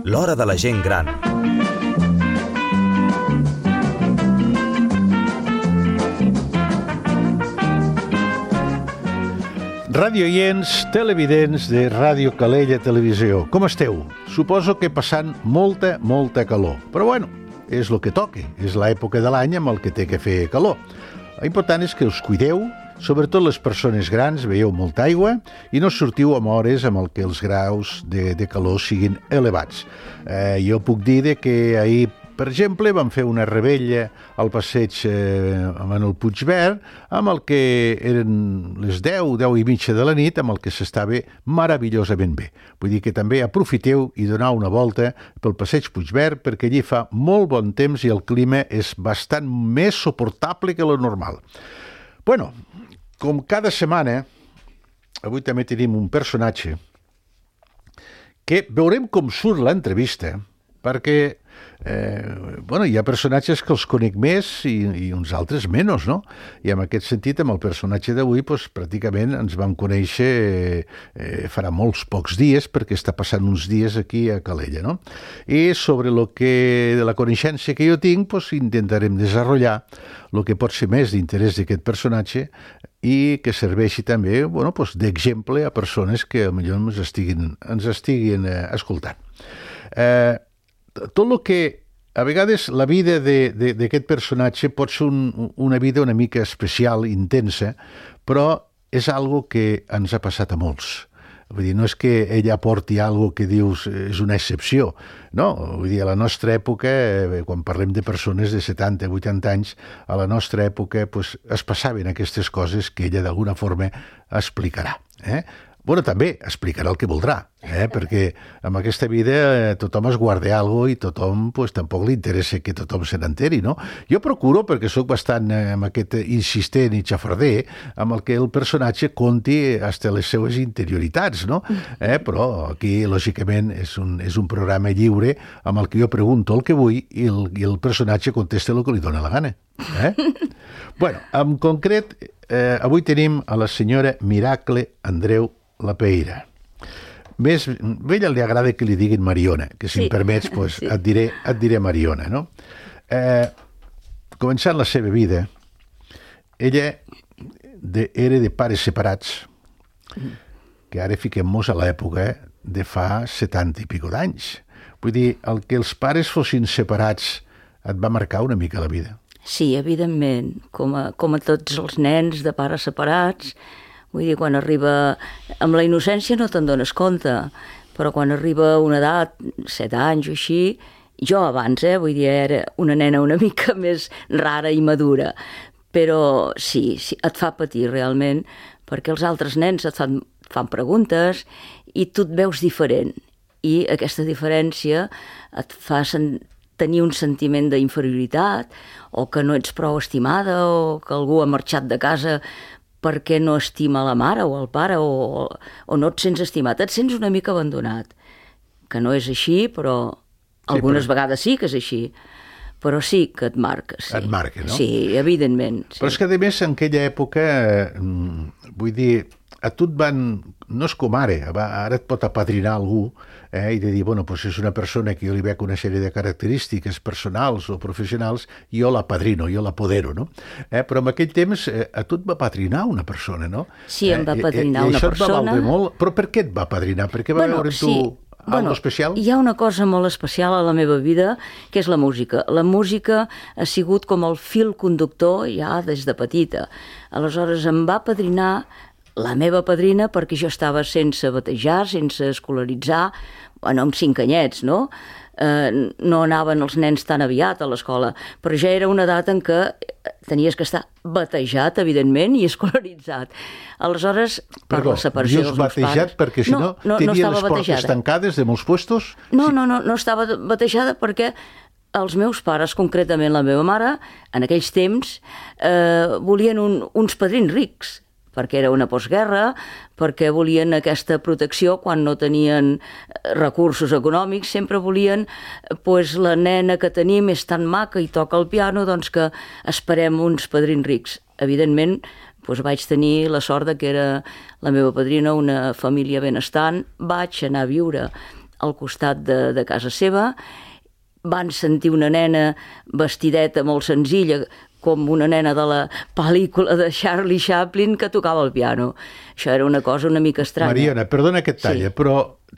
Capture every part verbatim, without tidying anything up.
L'hora de la gent gran. Radioients, televidents de Ràdio Calella Televisió, com esteu? Suposo que passant molta, molta calor. Però bueno, és el que toca, és l'època de l'any amb el que té que fer calor. L'important és que us cuideu, sobretot les persones grans, veieu molta aigua i no sortiu amb hores amb el que els graus de, de calor siguin elevats. Eh, jo puc dir de que ahir, per exemple, vam fer una rebella al passeig eh, en el Puigverd, amb el que eren les deu, deu i mitja de la nit, amb el que s'estava meravellosament bé. Vull dir que també aprofiteu i donau una volta pel passeig Puigverd, perquè allí fa molt bon temps i el clima és bastant més suportable que lo normal. Bueno, com cada setmana, avui també tenim un personatge que veurem com surt l'entrevista, perquè eh, bueno, hi ha personatges que els conec més i, i uns altres menys, no? I en aquest sentit, amb el personatge d'avui, doncs, pràcticament ens vam conèixer eh, farà molts pocs dies, perquè està passant uns dies aquí a Calella, no? I sobre lo que, de la coneixença que jo tinc, doncs, intentarem desenvolupar el que pot ser més d'interès d'aquest personatge i que serveixi també, bueno, doncs, d'exemple a persones que potser ens estiguin, ens estiguin eh, escoltant. Eh, tot el que a vegades la vida d'aquest personatge pot ser un, una vida una mica especial, intensa, però és algo que ens ha passat a molts. Vull dir, no és que ella aporti algo que dius és una excepció, no? Vull dir, a la nostra època, quan parlem de persones de setanta, vuitanta anys, a la nostra època pues, es passaven aquestes coses que ella d'alguna forma explicarà. Eh? Bueno, també explicarà el que voldrà, eh? Perquè en aquesta vida eh, tothom es guarda alguna cosa i tothom pues, tampoc li interessa que tothom se n'enteri, no? Jo procuro, perquè sóc bastant eh, amb aquest insistent i xafarder, amb el que el personatge conti hasta les seues interioritats, no? Eh? Però aquí, lògicament, és un, és un programa lliure amb el que jo pregunto el que vull i el, i el personatge contesta el que li dóna la gana. Eh? Bueno, en concret, eh, avui tenim a la senyora Miracle Andreu La Peira. Més, a ella li agrada que li diguin Mariona, que si sí. em permets pues, sí. et, diré, et diré Mariona. No? Eh, començant la seva vida, ella de, era de pares separats, que ara fiquem-nos a l'època de fa setanta i pico d'anys. Vull dir, el que els pares fossin separats et va marcar una mica la vida. Sí, evidentment, com a, com a tots els nens de pares separats. Vull dir, quan arriba... Amb la innocència no te'n dones compte, però quan arriba una edat, set anys o així, jo abans, eh, vull dir, era una nena una mica més rara i madura, però sí, sí et fa patir realment, perquè els altres nens et fan, fan preguntes i tu et veus diferent, i aquesta diferència et fa sen- tenir un sentiment d'inferioritat, o que no ets prou estimada, o que algú ha marxat de casa perquè no estima la mare o el pare o, o no et sents estimat, et sents una mica abandonat, que no és així, però algunes sí, però... vegades sí que és així, però sí que et marca. Sí. Et marca, no? Sí, evidentment. Sí. Però és que, a més, en aquella època, vull dir, a tu et van... No és com ara, ara et pot apadrinar algú eh, i de dir, bueno, doncs és una persona que jo li veig una sèrie de característiques personals o professionals, jo l'apadrino, jo l'apodero, no? Eh, però en aquell temps eh, a tu et va apadrinar una persona, no? Sí, em va apadrinar eh, i, i una persona. I això et va valdre molt, però per què et va apadrinar? Perquè va bueno, veure sí. tu Bueno, algo especial? Hi ha una cosa molt especial a la meva vida, que és la música. La música ha sigut com el fil conductor ja des de petita. Aleshores em va apadrinar la meva padrina perquè jo estava sense batejar, sense escolaritzar, bueno, amb cinc anyets, no? Eh, no anaven els nens tan aviat a l'escola, però ja era una edat en què tenies que estar batejat, evidentment, i escolaritzat. Aleshores, per Perdó, la separació dels meus pares... batejat perquè si no, no, no tenia no les portes batejada. Tancades de molts puestos? No, sí. no, no, no estava batejada perquè els meus pares, concretament la meva mare, en aquells temps, eh, volien un, uns padrins rics, perquè era una postguerra, perquè volien aquesta protecció quan no tenien recursos econòmics, sempre volien, pues, la nena que tenim és tan maca i toca el piano, doncs que esperem uns padrins rics. Evidentment, doncs vaig tenir la sort de que era la meva padrina una família benestant, vaig anar a viure al costat de, de casa seva, van sentir una nena vestideta molt senzilla, com una nena de la pel·lícula de Charlie Chaplin que tocava el piano. Això era una cosa una mica estranya. Mariona, perdona que et talla, Sí. però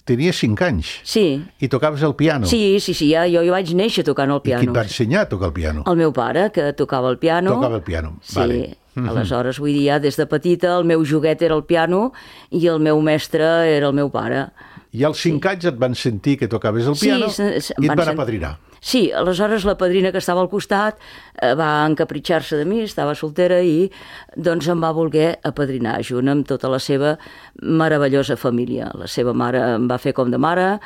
tenies cinc anys Sí, i tocaves el piano. sí, sí, sí ja, jo hi vaig néixer tocant el I qui et piano. va ensenyar a tocar el piano? El meu pare, que tocava el piano. Tocava el piano, Sí, vale. aleshores, vull dir, ja des de petita el meu joguet era el piano i el meu mestre era el meu pare. I als cinc anys et van sentir que tocaves el piano se- se- i et van van sen- apadrinar. Sí, aleshores la padrina que estava al costat eh, va encapritxar-se de mi, estava soltera i doncs em va voler apadrinar junt amb tota la seva meravellosa família. La seva mare em va fer com de mare.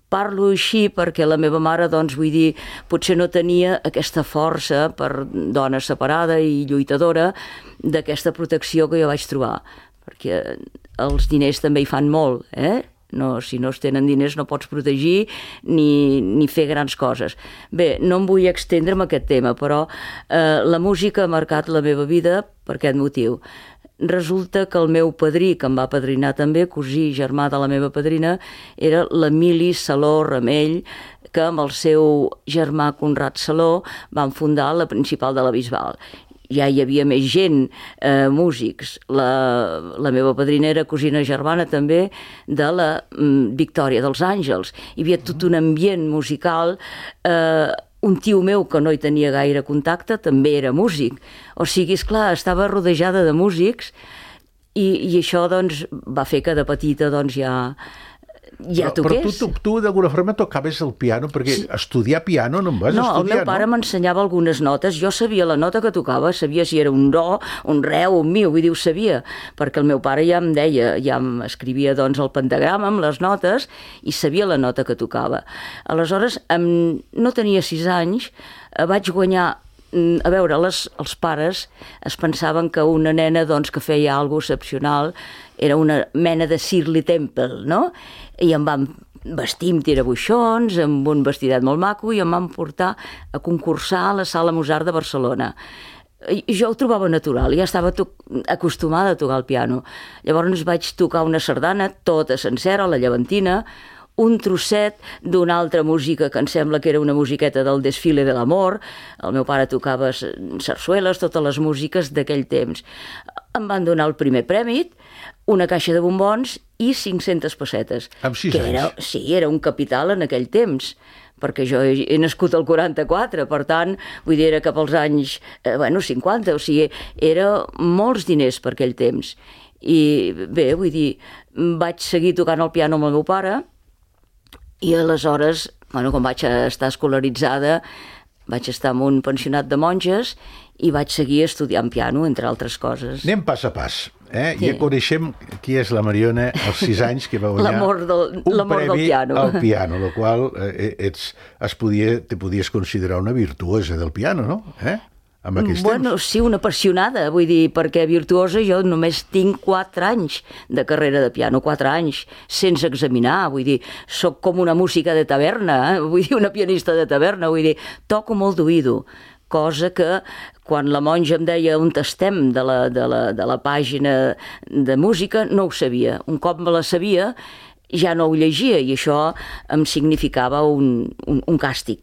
Parlo així perquè la meva mare, doncs, vull dir, potser no tenia aquesta força per dona separada i lluitadora d'aquesta protecció que jo vaig trobar, perquè els diners també hi fan molt, eh? No, si no es tenen diners no pots protegir ni, ni fer grans coses. Bé, no em vull extendre en aquest tema, però eh, la música ha marcat la meva vida per aquest motiu. Resulta que el meu padrí, que em va padrinar també, cosí germà de la meva padrina, era l'Emili Saló Ramell, que amb el seu germà Conrad Saló van fundar la Principal de la Bisbal. Ja hi havia més gent, eh, músics. La, la meva padrina era cosina germana també de la mm, Victòria dels Àngels. Hi havia tot un ambient musical. Eh, un tio meu que no hi tenia gaire contacte també era músic. O sigui, esclar, estava rodejada de músics i, i això doncs, va fer que de petita doncs, ja... ja però, però toqués. tu, tu, tu d'alguna forma tocaves el piano, perquè sí. estudiar piano no em vas No, estudiar, el meu pare no? m'ensenyava algunes notes, jo sabia la nota que tocava, sabia si era un do, un re o un mi, vull dir, ho sabia, perquè el meu pare ja em deia, ja em escrivia doncs el pentagrama amb les notes i sabia la nota que tocava. Aleshores, amb, no tenia sis anys, eh, vaig guanyar a veure, les, els pares es pensaven que una nena doncs, que feia alguna cosa excepcional era una mena de Shirley Temple, no? I em van vestir amb tirabuixons, amb un vestidet molt maco, i em van portar a concursar a la Sala Mozart de Barcelona. I jo ho trobava natural, ja estava acostumada a tocar el piano. Llavors vaig tocar una sardana tota sencera, la llevantina, un trosset d'una altra música que em sembla que era una musiqueta del Desfile de l'Amor. El meu pare tocava sarsueles, totes les músiques d'aquell temps. Em van donar el primer premi, una caixa de bombons i cinc-centes pessetes. Amb sis que anys? Era, sí, era un capital en aquell temps, perquè jo he, he nascut al quaranta-quatre, per tant, vull dir, era cap als anys, eh, bueno, cinquanta, o sigui, era molts diners per aquell temps. I bé, vull dir, vaig seguir tocant el piano amb el meu pare, i aleshores, bueno, quan vaig estar escolaritzada, vaig estar en un pensionat de monges i vaig seguir estudiant piano, entre altres coses. Anem pas a pas. Eh? Sí. Ja coneixem qui és la Mariona als sis anys que va guanyar L'amor del- un l'amor del premi piano. al piano, el qual eh, ets, es podia, te podies considerar una virtuosa del piano, no? Eh? Amb aquests Bueno, temps. sí, una apassionada, vull dir, perquè virtuosa jo només tinc quatre anys de carrera de piano, quatre anys, sense examinar, vull dir, sóc com una música de taverna, eh? Vull dir, una pianista de taverna, vull dir, toco molt d'oïdo, cosa que quan la monja em deia on estem de la, de, la, de la pàgina de música, no ho sabia. Un cop me la sabia, ja no ho llegia, i això em significava un, un, un càstig.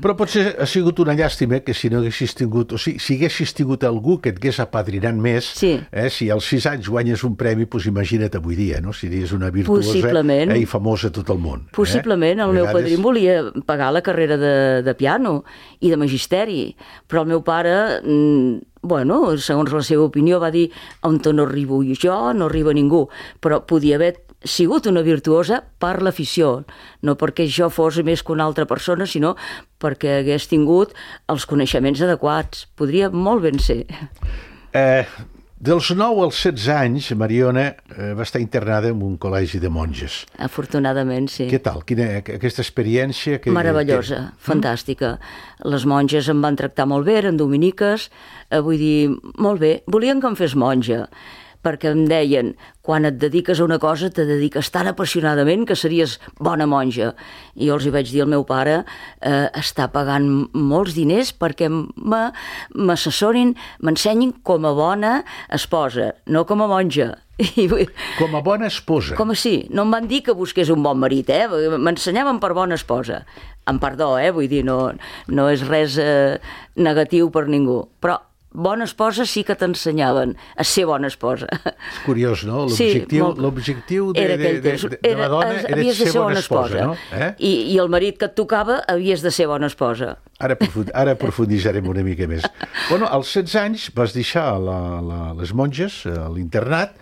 Però potser ha sigut una llàstima que si no haguessis tingut, o sigui, si haguessis tingut algú que et hagués apadrinat més, Sí. eh, si als sis anys guanyes un premi, doncs imagina't avui dia, no? Series una virtuosa Possiblement. eh, i famosa a tot el món. Possiblement, eh? el A meu vegades- padrí em volia pagar la carrera de, de piano i de magisteri, però el meu pare, mm, bueno, segons la seva opinió, va dir on no arribo jo, no arriba ningú, però podia haver sigut una virtuosa per l'afició, no perquè jo fos més que una altra persona, sinó perquè hagués tingut els coneixements adequats. Podria molt ben ser. Eh, dels nou als setze anys, Mariona eh, va estar internada en un col·legi de monges. Afortunadament, sí. Què tal? Quina, aquesta experiència? Que, Meravellosa, que... fantàstica. Les monges em van tractar molt bé, eren dominiques, eh, vull dir, molt bé. Volien que em fes monja, perquè em deien, quan et dediques a una cosa, te dediques tan apassionadament que series bona monja. I jo els hi vaig dir al meu pare, eh, està pagant molts diners perquè m'assessorin, m'ensenyin com a bona esposa, no com a monja. Com a bona esposa. Com a sí, no em van dir que busqués un bon marit, eh? M'ensenyaven per bona esposa. Amb perdó, eh? Vull dir, no, no és res eh, negatiu per ningú, però bona esposa sí que t'ensenyaven a ser bona esposa. És curiós, no? L'objectiu sí, l'objectiu de, de, de, de, de la dona era, era ser, ser bona esposa, esposa no? Eh? I, I el marit que et tocava havies de ser bona esposa. Ara, profund, ara aprofunditzarem una mica més. Bueno, als setze anys vas deixar la, la, les monges a l'internat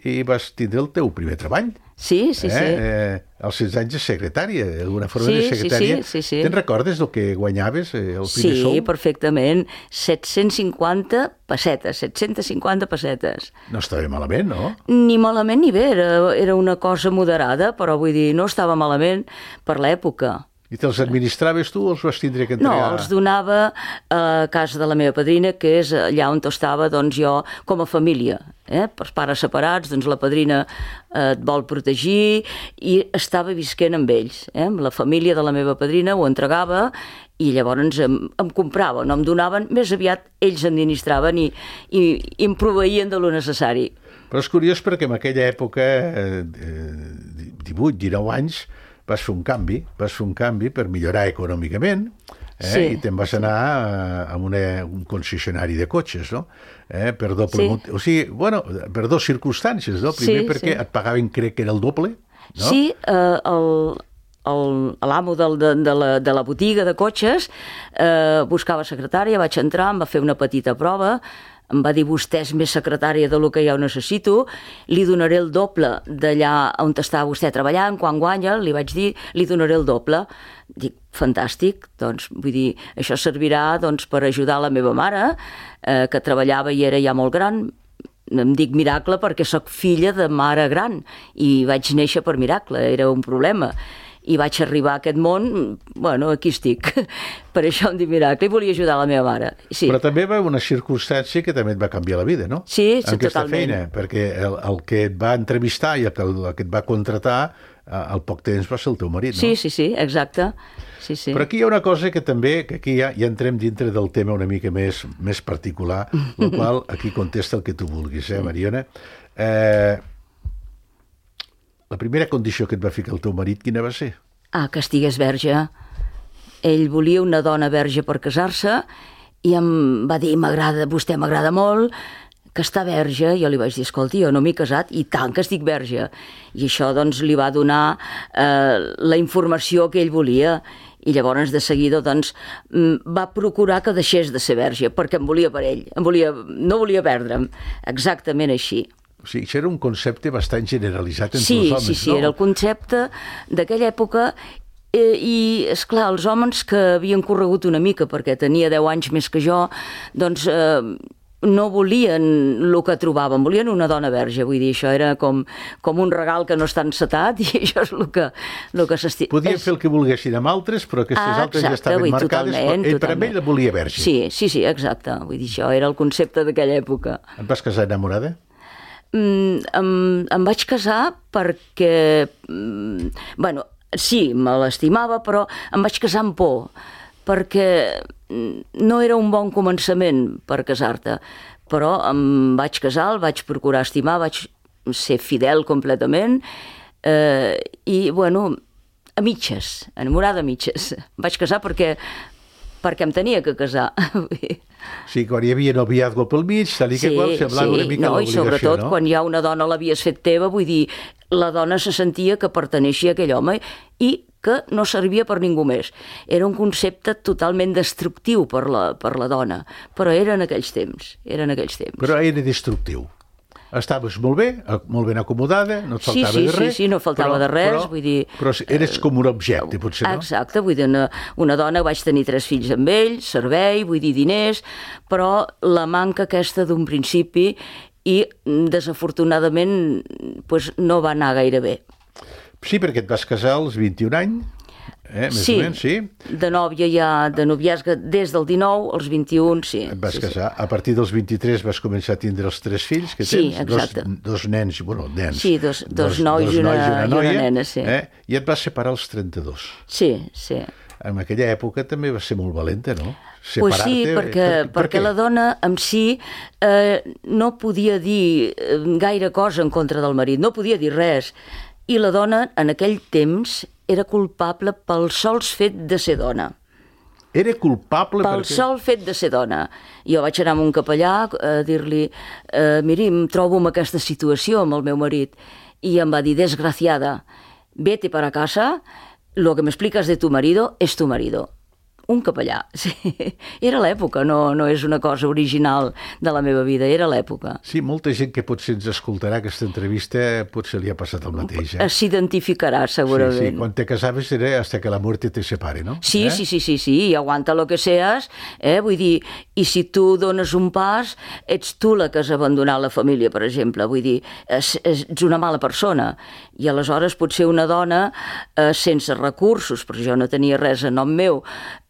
i vas tindre el teu primer treball. Sí, sí, eh? sí. Eh, als setze anys de secretària, d'alguna forma sí, de secretària. Sí, sí, sí, sí. Te'n recordes del que guanyaves eh, el primer sí, sou? Sí, perfectament. set-cents cinquanta pessetes, set-cents cinquanta pessetes. No estava malament, no? Ni malament ni bé, era, era una cosa moderada, però vull dir, no estava malament per l'època. I te'ls administraves tu o els vas tindre que entregar? No, els donava a casa de la meva padrina, que és allà on estava doncs, jo com a família. Eh? Per pares separats, doncs la padrina eh, et vol protegir i estava visquent amb ells. Eh? Amb la família de la meva padrina ho entregava i llavors em, em comprava, no em donaven, més aviat ells administraven i, i, i em proveïen de lo necessari. Però és curiós perquè en aquella època, eh, divuit, dinou anys, vas fer un canvi, vas fer un canvi per millorar econòmicament, eh? Sí. I te'n vas anar a, a una, un concessionari de cotxes, no? Eh? Per doble sí. mot... O sigui, bueno, per dues circumstàncies, no? Primer sí, perquè sí. et pagaven, crec que era el doble, no? Sí, eh, el... l'amo de, de, de, la, de la botiga de cotxes eh, buscava secretària, vaig entrar, em va fer una petita prova, em va dir, vostè és més secretària del que jo necessito, li donaré el doble d'allà on està vostè treballant, quan guanya, li vaig dir, li donaré el doble. Dic, fantàstic, doncs, vull dir, això servirà doncs, per ajudar la meva mare, eh, que treballava i era ja molt gran. Em dic miracle perquè sóc filla de mare gran i vaig néixer per miracle, era un problema. I vaig arribar a aquest món, bueno, aquí estic. Per això em dic miracle i volia ajudar la meva mare. Sí. Però també va una circumstància que també et va canviar la vida, no? Sí, sí, aquesta totalment. feina, perquè el, el que et va entrevistar i el que, el que et va contratar al poc temps va ser el teu marit, no? Sí, sí, sí, exacte. Sí, sí. Però aquí hi ha una cosa que també, que aquí ja, ja entrem dintre del tema una mica més, més particular, el qual aquí contesta el que tu vulguis, eh, Mariona? Eh, la primera condició que et va ficar el teu marit, quina va ser? Ah, que estigués verge. Ell volia una dona verge per casar-se i em va dir, m'agrada, vostè m'agrada molt, que està verge. Jo li vaig dir, escolti, jo no m'he casat i tant que estic verge. I això doncs li va donar eh, la informació que ell volia i llavors de seguida doncs va procurar que deixés de ser verge perquè em volia per ell, em volia, no volia perdre'm. Exactament així. O sigui, això era un concepte bastant generalitzat entre sí, els homes, sí, sí, no? Sí, era el concepte d'aquella època eh, i, esclar, els homes que havien corregut una mica perquè tenia deu anys més que jo, doncs eh, no volien el que trobaven, volien una dona verge, vull dir, això era com, com un regal que no està encetat i això és el que, el que s'estima. Podien és... fer el que volguessin amb altres, però aquestes ah, altres exacte, ja estaven vull, marcades, totalment, però ell, per totalment. ell la volia verge. Sí, sí, sí, exacte, vull dir, això era el concepte d'aquella època. Et vas casar enamorada? Mm, em, em vaig casar perquè, mm, bueno, sí, me l'estimava, però em vaig casar amb por, perquè no era un bon començament per casar-te, però em vaig casar, el vaig procurar estimar, vaig ser fidel completament, eh, i, bueno, a mitges, enamorada a mitges. Em vaig casar perquè, perquè em tenia que casar. Sí, quan hi havia noviazgo pel mig, tal i que qual, semblava sí, una mica no, l'obligació, no? I sobretot no? quan ja una dona l'havies fet teva, vull dir, la dona se sentia que perteneixia a aquell home i que no servia per ningú més. Era un concepte totalment destructiu per la, per la dona, però era en aquells temps, era en aquells temps. Però era destructiu. Estaves molt bé, molt ben acomodada, no et faltava sí, sí, de res. Sí, sí, no faltava però, de res, però, vull dir... Però eres com un objecte, potser, no? Exacte, vull dir, una, una dona, vaig tenir tres fills amb ell, servei, vull dir, diners, però la manca aquesta d'un principi i, desafortunadament, pues, no va anar gaire bé. Sí, perquè et vas casar als vint-i-un anys. Eh? Més sí, o menys, sí. De nòvia ja, de noviasca des del dinou als vint-i-un, sí. Et vas sí, casar. Sí. A partir dels vint-i-tres vas començar a tindre els tres fills que sí, tens. Exacte. Dos, dos nens, bueno, nens. Sí, dos, dos, dos nois, dos i, una, nois i, una noia, i una nena, sí. Eh? I et vas separar als trenta-dos. Sí, sí. En aquella època també va ser molt valenta, no? Pues sí, perquè, per, per perquè la dona en si eh, no podia dir gaire cosa en contra del marit, no podia dir res. I la dona, en aquell temps, era culpable pel sols fet de ser dona. Era culpable pel perquè... sol fet de ser dona. Jo vaig anar amb un capellà a dir-li eh, miri, em trobo en aquesta situació amb el meu marit. I em va dir, desgraciada, vete para casa, lo que me explicas de tu marido es tu marido. Un capellà, sí. Era l'època, no, no és una cosa original de la meva vida, era l'època. Sí, molta gent que potser ens escoltarà aquesta entrevista potser li ha passat el mateix. Eh? S'identificarà, segurament. Sí, sí, quan te casaves era hasta que la muerte te separe, no? Sí, eh? sí, sí, sí, sí, i aguanta lo que seas, eh? Vull dir, i si tu dones un pas, ets tu la que has abandonat la família, per exemple, vull dir, ets, ets una mala persona, i aleshores potser una dona eh, sense recursos, perquè jo no tenia res a nom meu,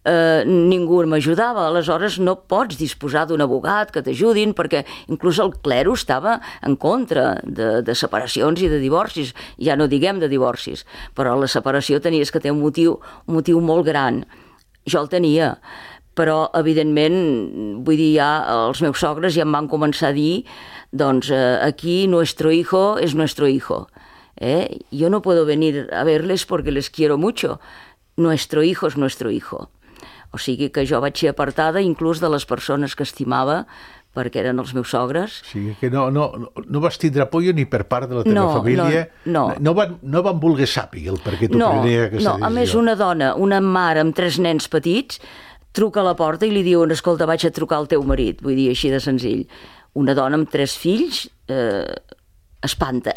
Eh, ningú m'ajudava, aleshores no pots disposar d'un abogat que t'ajudin perquè inclús el clero estava en contra de, de separacions i de divorcis, ja no diguem de divorcis, però la separació tenies que tenir un motiu, un motiu molt gran. Jo el tenia, però evidentment, vull dir, ja els meus sogres ja em van començar a dir doncs eh, aquí nuestro hijo es nuestro hijo, eh? Yo no puedo venir a verles porque les quiero mucho, nuestro hijo es nuestro hijo. O sigui que jo vaig ser apartada inclús de les persones que estimava perquè eren els meus sogres. O sigui que no, no, no vas tindre apoyo ni per part de la teva no, família. No, no. No van, no van voler sàpiga el per què tu no, prenia aquesta no. decisió. A més, una dona, una mare amb tres nens petits, truca a la porta i li diuen, escolta, vaig a trucar al teu marit. Vull dir, així de senzill. Una dona amb tres fills... Eh, espanta.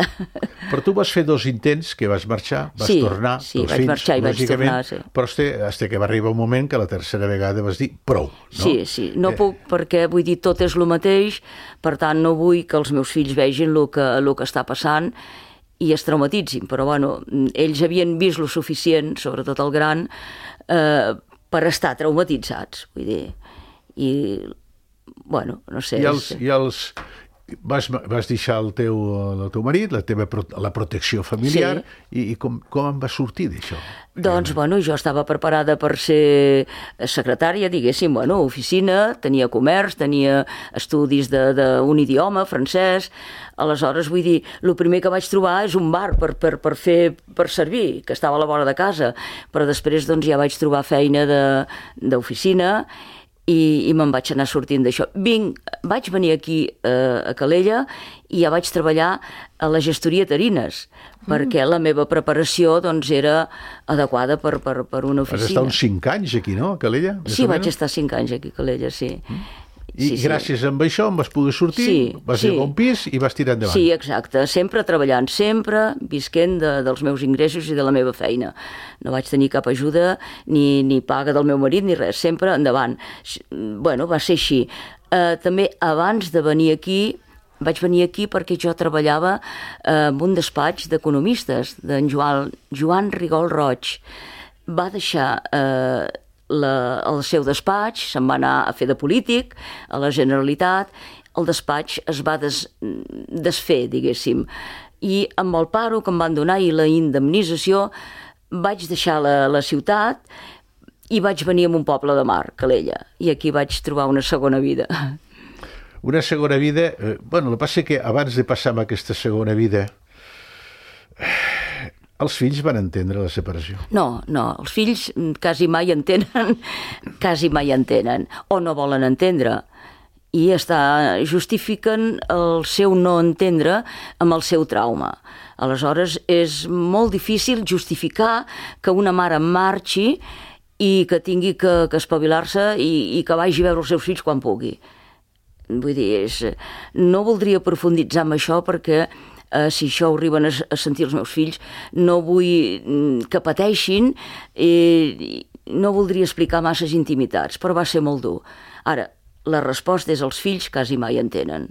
Però tu vas fer dos intents que vas marxar, vas sí, tornar, sí, dos vaig fills, marxar i vaig tornar, sí. Però hasta que va arribar un moment que la tercera vegada vas dir prou, no? Sí, sí, no eh... puc perquè, vull dir, tot és el mateix, per tant no vull que els meus fills vegin el que, el que està passant i es traumatitzin, però bueno, ells havien vist lo suficient, sobretot el gran, eh, per estar traumatitzats, vull dir, i bueno, no sé... I els... I els... Vas, vas deixar el teu, el teu marit, la teva la protecció familiar, sí. i, i com, com en vas sortir d'això? Doncs, bueno, jo estava preparada per ser secretària, diguéssim, bueno, oficina, tenia comerç, tenia estudis d'un idioma, francès, aleshores, vull dir, el primer que vaig trobar és un bar per, per, per fer, per servir, que estava a la vora de casa, però després, doncs, ja vaig trobar feina d'oficina, i, i me'n vaig anar sortint d'això. Vinc, vaig venir aquí eh, a Calella i ja vaig treballar a la gestoria Tarines, mm. perquè la meva preparació doncs, era adequada per, per, per una oficina. Vas estar uns cinc anys aquí, no, a Calella? Sí, vaig estar cinc anys aquí a Calella, sí. Mm. I sí, gràcies sí. a això em vas poder sortir, sí, vas sí. arribar a un pis i vas tirar endavant. Sí, exacte, sempre treballant, sempre visquent de, dels meus ingressos i de la meva feina. No vaig tenir cap ajuda, ni, ni paga del meu marit, ni res, sempre endavant. Bueno, va ser així. Eh, també abans de venir aquí, vaig venir aquí perquè jo treballava eh, en un despatx d'economistes, d'en Joan, Joan Rigol Roig. Va deixar... Eh, La, el seu despatx, se'n va anar a fer de polític a la Generalitat, el despatx es va des, desfer, diguéssim, i amb el paro que em van donar i la indemnització vaig deixar la, la ciutat i vaig venir a un poble de mar, Calella, i aquí vaig trobar una segona vida. Una segona vida, eh, bueno, el que passa és que abans de passar amb aquesta segona vida els fills van entendre la separació? No, no, els fills quasi mai entenen, quasi mai entenen, o no volen entendre, i està, justifiquen el seu no entendre amb el seu trauma. Aleshores, és molt difícil justificar que una mare marxi i que tingui que, que espavilar-se i, i que vagi a veure els seus fills quan pugui. Vull dir, és, no voldria profunditzar en això perquè Uh, si això ho arriben a, a sentir els meus fills, no vull que pateixin, i no voldria explicar masses intimitats, però va ser molt dur. Ara, la resposta és els fills quasi mai entenen.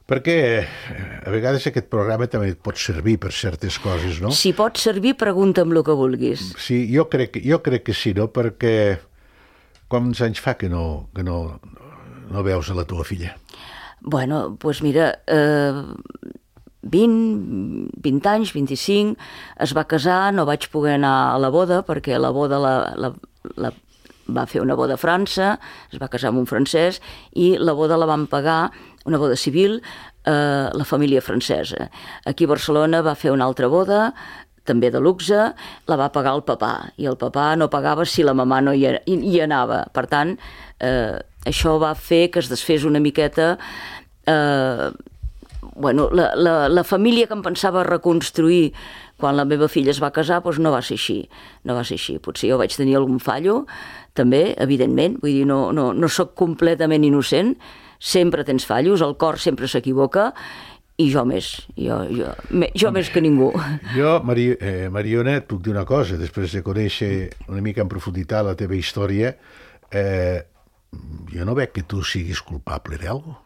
Perquè a vegades aquest programa també et pot servir per certes coses, no? Si pot servir, pregunta'm el que vulguis. Sí, jo crec, jo crec que sí, no? Perquè quants anys fa que no, que no, no veus a la teva filla? Bueno, doncs pues mira, eh, vint, vint anys, vint-i-cinc, es va casar, no vaig poder anar a la boda, perquè la boda la, la, la va fer una boda a França, es va casar amb un francès, i la boda la van pagar, una boda civil, eh, la família francesa. Aquí a Barcelona va fer una altra boda, també de luxe, la va pagar el papà, i el papà no pagava si la mamà no hi, hi anava. Per tant, eh, això va fer que es desfés una miqueta... Eh, bueno, la, la, la família que em pensava reconstruir quan la meva filla es va casar, doncs no va ser així, no va ser així. Potser jo vaig tenir algun fallo, també, evidentment, vull dir, no, no, no sóc completament innocent, sempre tens fallos, el cor sempre s'equivoca, i jo més, jo, jo, jo més que ningú. Jo, Mari, eh, Mariona, et puc dir una cosa, després de conèixer una mica en profunditat la teva història, eh, jo no veig que tu siguis culpable d'alguna cosa.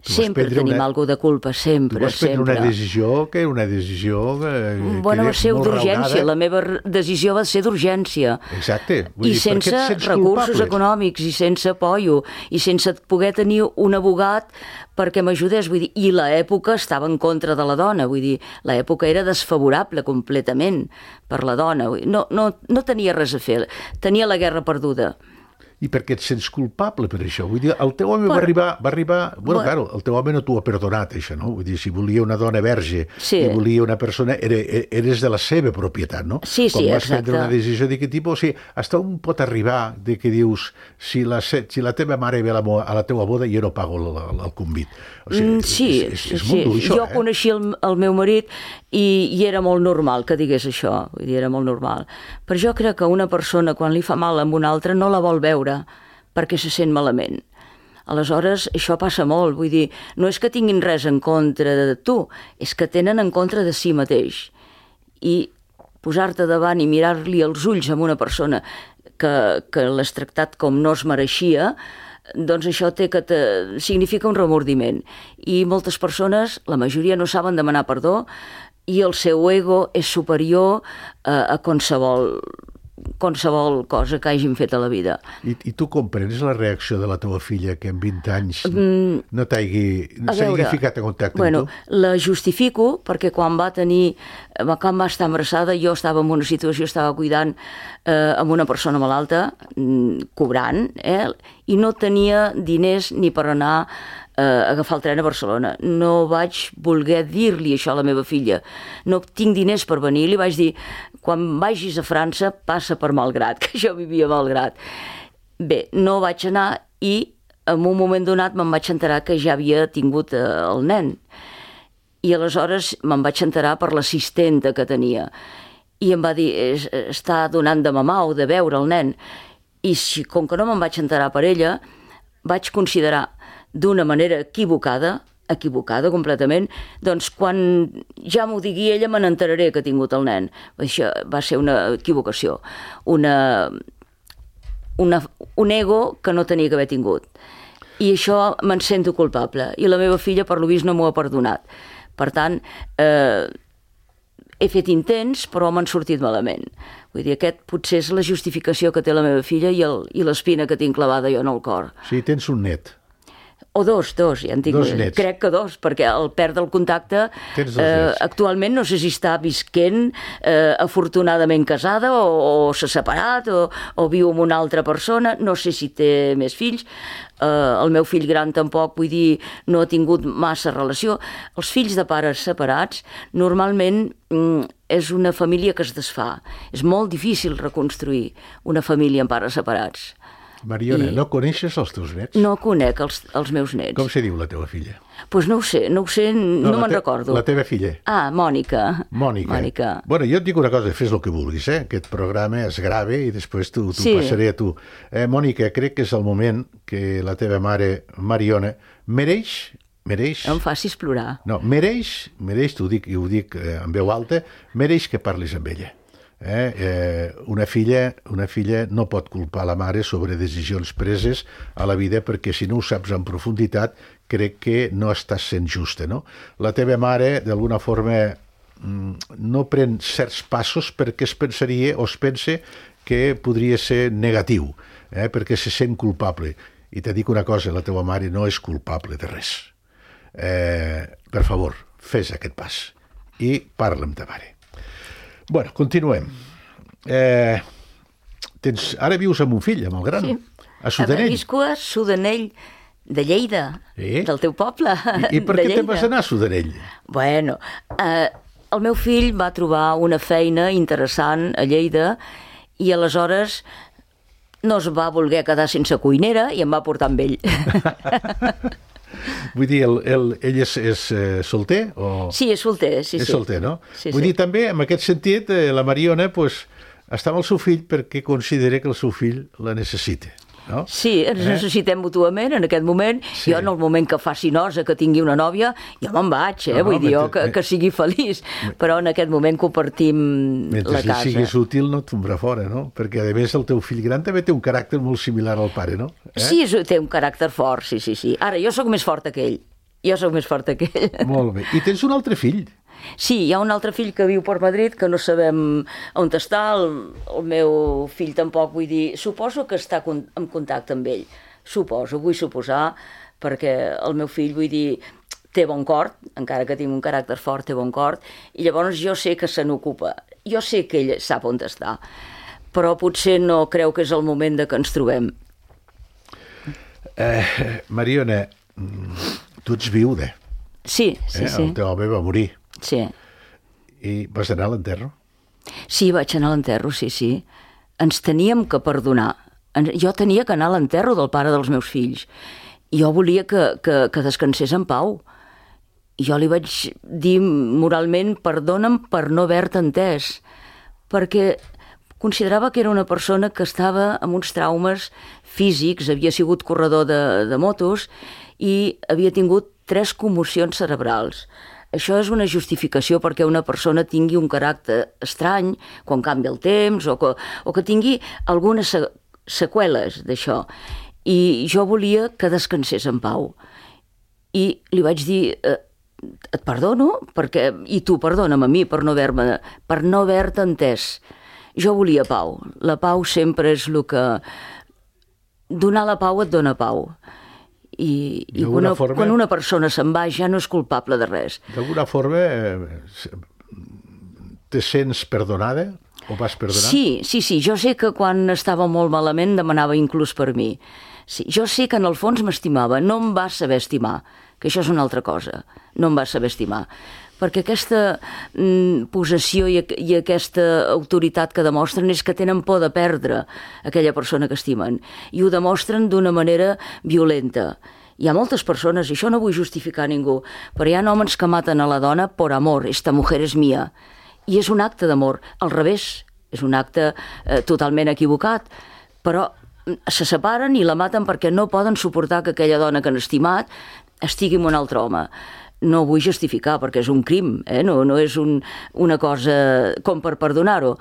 Sempre tenim una... alguna de culpa, sempre, sempre. Tu vas prendre sempre. una decisió que era una decisió que, bueno, que va ser d'urgència, la meva decisió va ser d'urgència. Exacte. Vull I dir, sense recursos culpable? Econòmics, i sense apoyo, i sense poder tenir un abogat perquè m'ajudés, vull dir, i l'època estava en contra de la dona, vull dir, l'època era desfavorable completament per la dona, vull dir, no, no, no tenia res a fer, tenia la guerra perduda. I per què et sents culpable per això? Vull dir, el teu home per... va arribar... Va arribar bueno, bueno, claro, el teu home no t'ho ha perdonat, això, no? Vull dir, si volia una dona verge sí. i volia una persona, eres de la seva propietat, no? Sí, sí, Com vas exacte. prendre una decisió d'aquest tipus, o sigui, hasta on pot arribar de que dius, si la, si la teva mare ve a la, a la teva boda, jo no pago el, el, el convit. O sigui, sí, és, és, és sí. molt dur, això, jo eh? coneixia el, el meu marit i, i era molt normal que digués això, vull dir, era molt normal. Però jo crec que una persona, quan li fa mal amb una altra, no la vol veure, perquè se sent malament. Aleshores, això passa molt, vull dir, no és que tinguin res en contra de tu, és que tenen en contra de si mateix. I posar-te davant i mirar-li els ulls a una persona que, que l'has tractat com no es mereixia, doncs això té que te... significa un remordiment. I moltes persones, la majoria, no saben demanar perdó i el seu ego és superior a, a qualsevol qualsevol cosa que hagin fet a la vida. I, i tu comprens la reacció de la teva filla que en vint anys mm, no t'hagi no ficat en contacte bueno, amb tu? La justifico perquè quan va tenir, quan va estar embarassada, jo estava en una situació, estava cuidant eh, amb una persona malalta, mm, cobrant, eh, i no tenia diners ni per anar eh, a agafar el tren a Barcelona. No vaig voler dir-li això a la meva filla. No tinc diners per venir. Li vaig dir, quan vagis a França, passa per Malgrat, que jo vivia a Malgrat. Bé, no vaig anar i en un moment donat me'n vaig enterar que ja havia tingut eh, el nen. I aleshores me'n vaig enterar per l'assistenta que tenia. I em va dir, està donant de mamar o de beure el nen. I si, com que no me'n vaig enterar per ella, vaig considerar d'una manera equivocada, equivocada completament, doncs quan ja m'ho digui ella me n'enteraré que ha tingut el nen. Això va ser una equivocació, una, una, un ego que no tenia que haver tingut. I això me'n sento culpable. I la meva filla, per lo vist, no m'ho ha perdonat. Per tant, eh, he fet intents, però m'han sortit malament. Vull dir, aquest potser és la justificació que té la meva filla i, el, i l'espina que tinc clavada jo en el cor. Sí, tens un net. O dos, dos, ja en tinc, dos nets. Crec que dos, perquè el perd el contacte. Eh, actualment no sé si està visquent, eh, afortunadament casada, o, o s'ha separat, o, o viu amb una altra persona, no sé si té més fills. Eh, el meu fill gran tampoc, vull dir, no ha tingut massa relació. Els fills de pares separats, normalment mm, és una família que es desfà. És molt difícil reconstruir una família amb pares separats. Mariona, I... no coneixes els teus nets? No conec els, els meus nets. Com se diu la teva filla? Doncs pues no ho sé, no ho sé, no, no me'n te... recordo. La teva filla? Ah, Mònica. Mònica. Mònica. Bueno, jo et dic una cosa, fes el que vulguis, eh? Aquest programa es grave i després t'ho sí. passaré a tu. Eh, Mònica, crec que és el moment que la teva mare, Mariona, mereix... mereix... No em facis plorar. No, mereix, mereix, t'ho dic i ho dic eh, en veu alta, mereix que parlis amb ella. Eh, eh, una filla una filla no pot culpar la mare sobre decisions preses a la vida, perquè si no ho saps en profunditat, crec que no estàs sent justa, no? La teva mare, d'alguna forma, no pren certs passos perquè es pensaria o es pense que podria ser negatiu, eh? perquè se sent culpable. I te dic una cosa, la teva mare no és culpable de res. Eh, per favor, fes aquest pas i parla amb ta mare. Bueno, continuem. Eh, tens, ara vius amb un fill, amb el gran, sí. A Sudanell. Visco a Sudanell de Lleida, eh? del teu poble. I, i per què te'n vas anar a Sudanell? Bueno, eh, el meu fill va trobar una feina interessant a Lleida i aleshores no es va voler quedar sense cuinera i em va portar amb ell. Vull dir, el, el, ell és, és eh, solter? O... Sí, és solter, sí, és sí. solter, no? Sí, Vull sí. dir, també, en aquest sentit, eh, la Mariona pues, està amb el seu fill perquè considera que el seu fill la necessita, no? Sí, ens eh? necessitem mútuament en aquest moment. Sí. Jo, en el moment que faci nosa, que tingui una nòvia, jo me'n vaig, eh? No, Vull no, dir, mentre... jo, que, que sigui feliç. Però en aquest moment compartim mentre la casa. Mentre siguis útil no et tombarà fora, no? Perquè, a més, el teu fill gran també té un caràcter molt similar al pare, no? Eh? Sí, té un caràcter fort, sí, sí, sí. Ara, jo sóc més forta que ell. Jo sóc més forta que ell. Molt bé. I tens un altre fill? Sí, hi ha un altre fill que viu per Madrid, que no sabem on està, el, el meu fill tampoc, vull dir, suposo que està en contacte amb ell, suposo, vull suposar, perquè el meu fill, vull dir, té bon cor, encara que tingui un caràcter fort, té bon cor, i llavors jo sé que se n'ocupa, jo sé que ell sap on està, però potser no creu que és el moment de que ens trobem. Eh, Mariona, tu ets viuda. Sí, sí, eh? sí. El teu home va morir. Sí. I vas anar a l'enterro? Sí, vaig anar a l'enterro, sí, sí. Ens teníem que perdonar. Jo tenia que anar a l'enterro del pare dels meus fills. Jo volia que, que, que descansés en pau. Jo li vaig dir moralment, perdona'm per no haver-te entès, perquè considerava que era una persona que estava amb uns traumes físics, havia sigut corredor de, de motos i havia tingut tres commocions cerebrals. Això és una justificació perquè una persona tingui un caràcter estrany quan canvia el temps o que, o que tingui algunes seqüeles d'això. I jo volia que descansés en pau. I li vaig dir, eh, et perdono, perquè, i tu perdona'm a mi per no haver-me, per no haver-te entès. Jo volia pau. La pau sempre és el que... Donar la pau et dona pau. I, i quan, forma, quan una persona se'n va ja no és culpable de res. D'alguna forma eh, te sents perdonada o vas perdonar? Sí, sí, sí. Jo sé que quan estava molt malament demanava inclús per mi. Sí, jo sé que en el fons m'estimava, no em va saber estimar, que això és una altra cosa. No em va saber estimar. Perquè aquesta mm, possessió i, i aquesta autoritat que demostren és que tenen por de perdre aquella persona que estimen. I ho demostren d'una manera violenta. Hi ha moltes persones, i això no vull justificar ningú, però hi ha homes que maten a la dona por amor, esta mujer és mia. I és un acte d'amor, al revés, és un acte eh, totalment equivocat, però se separen i la maten perquè no poden suportar que aquella dona que han estimat estigui amb un altre home. No vull justificar perquè és un crim, eh? no, no és un, una cosa com per perdonar-ho,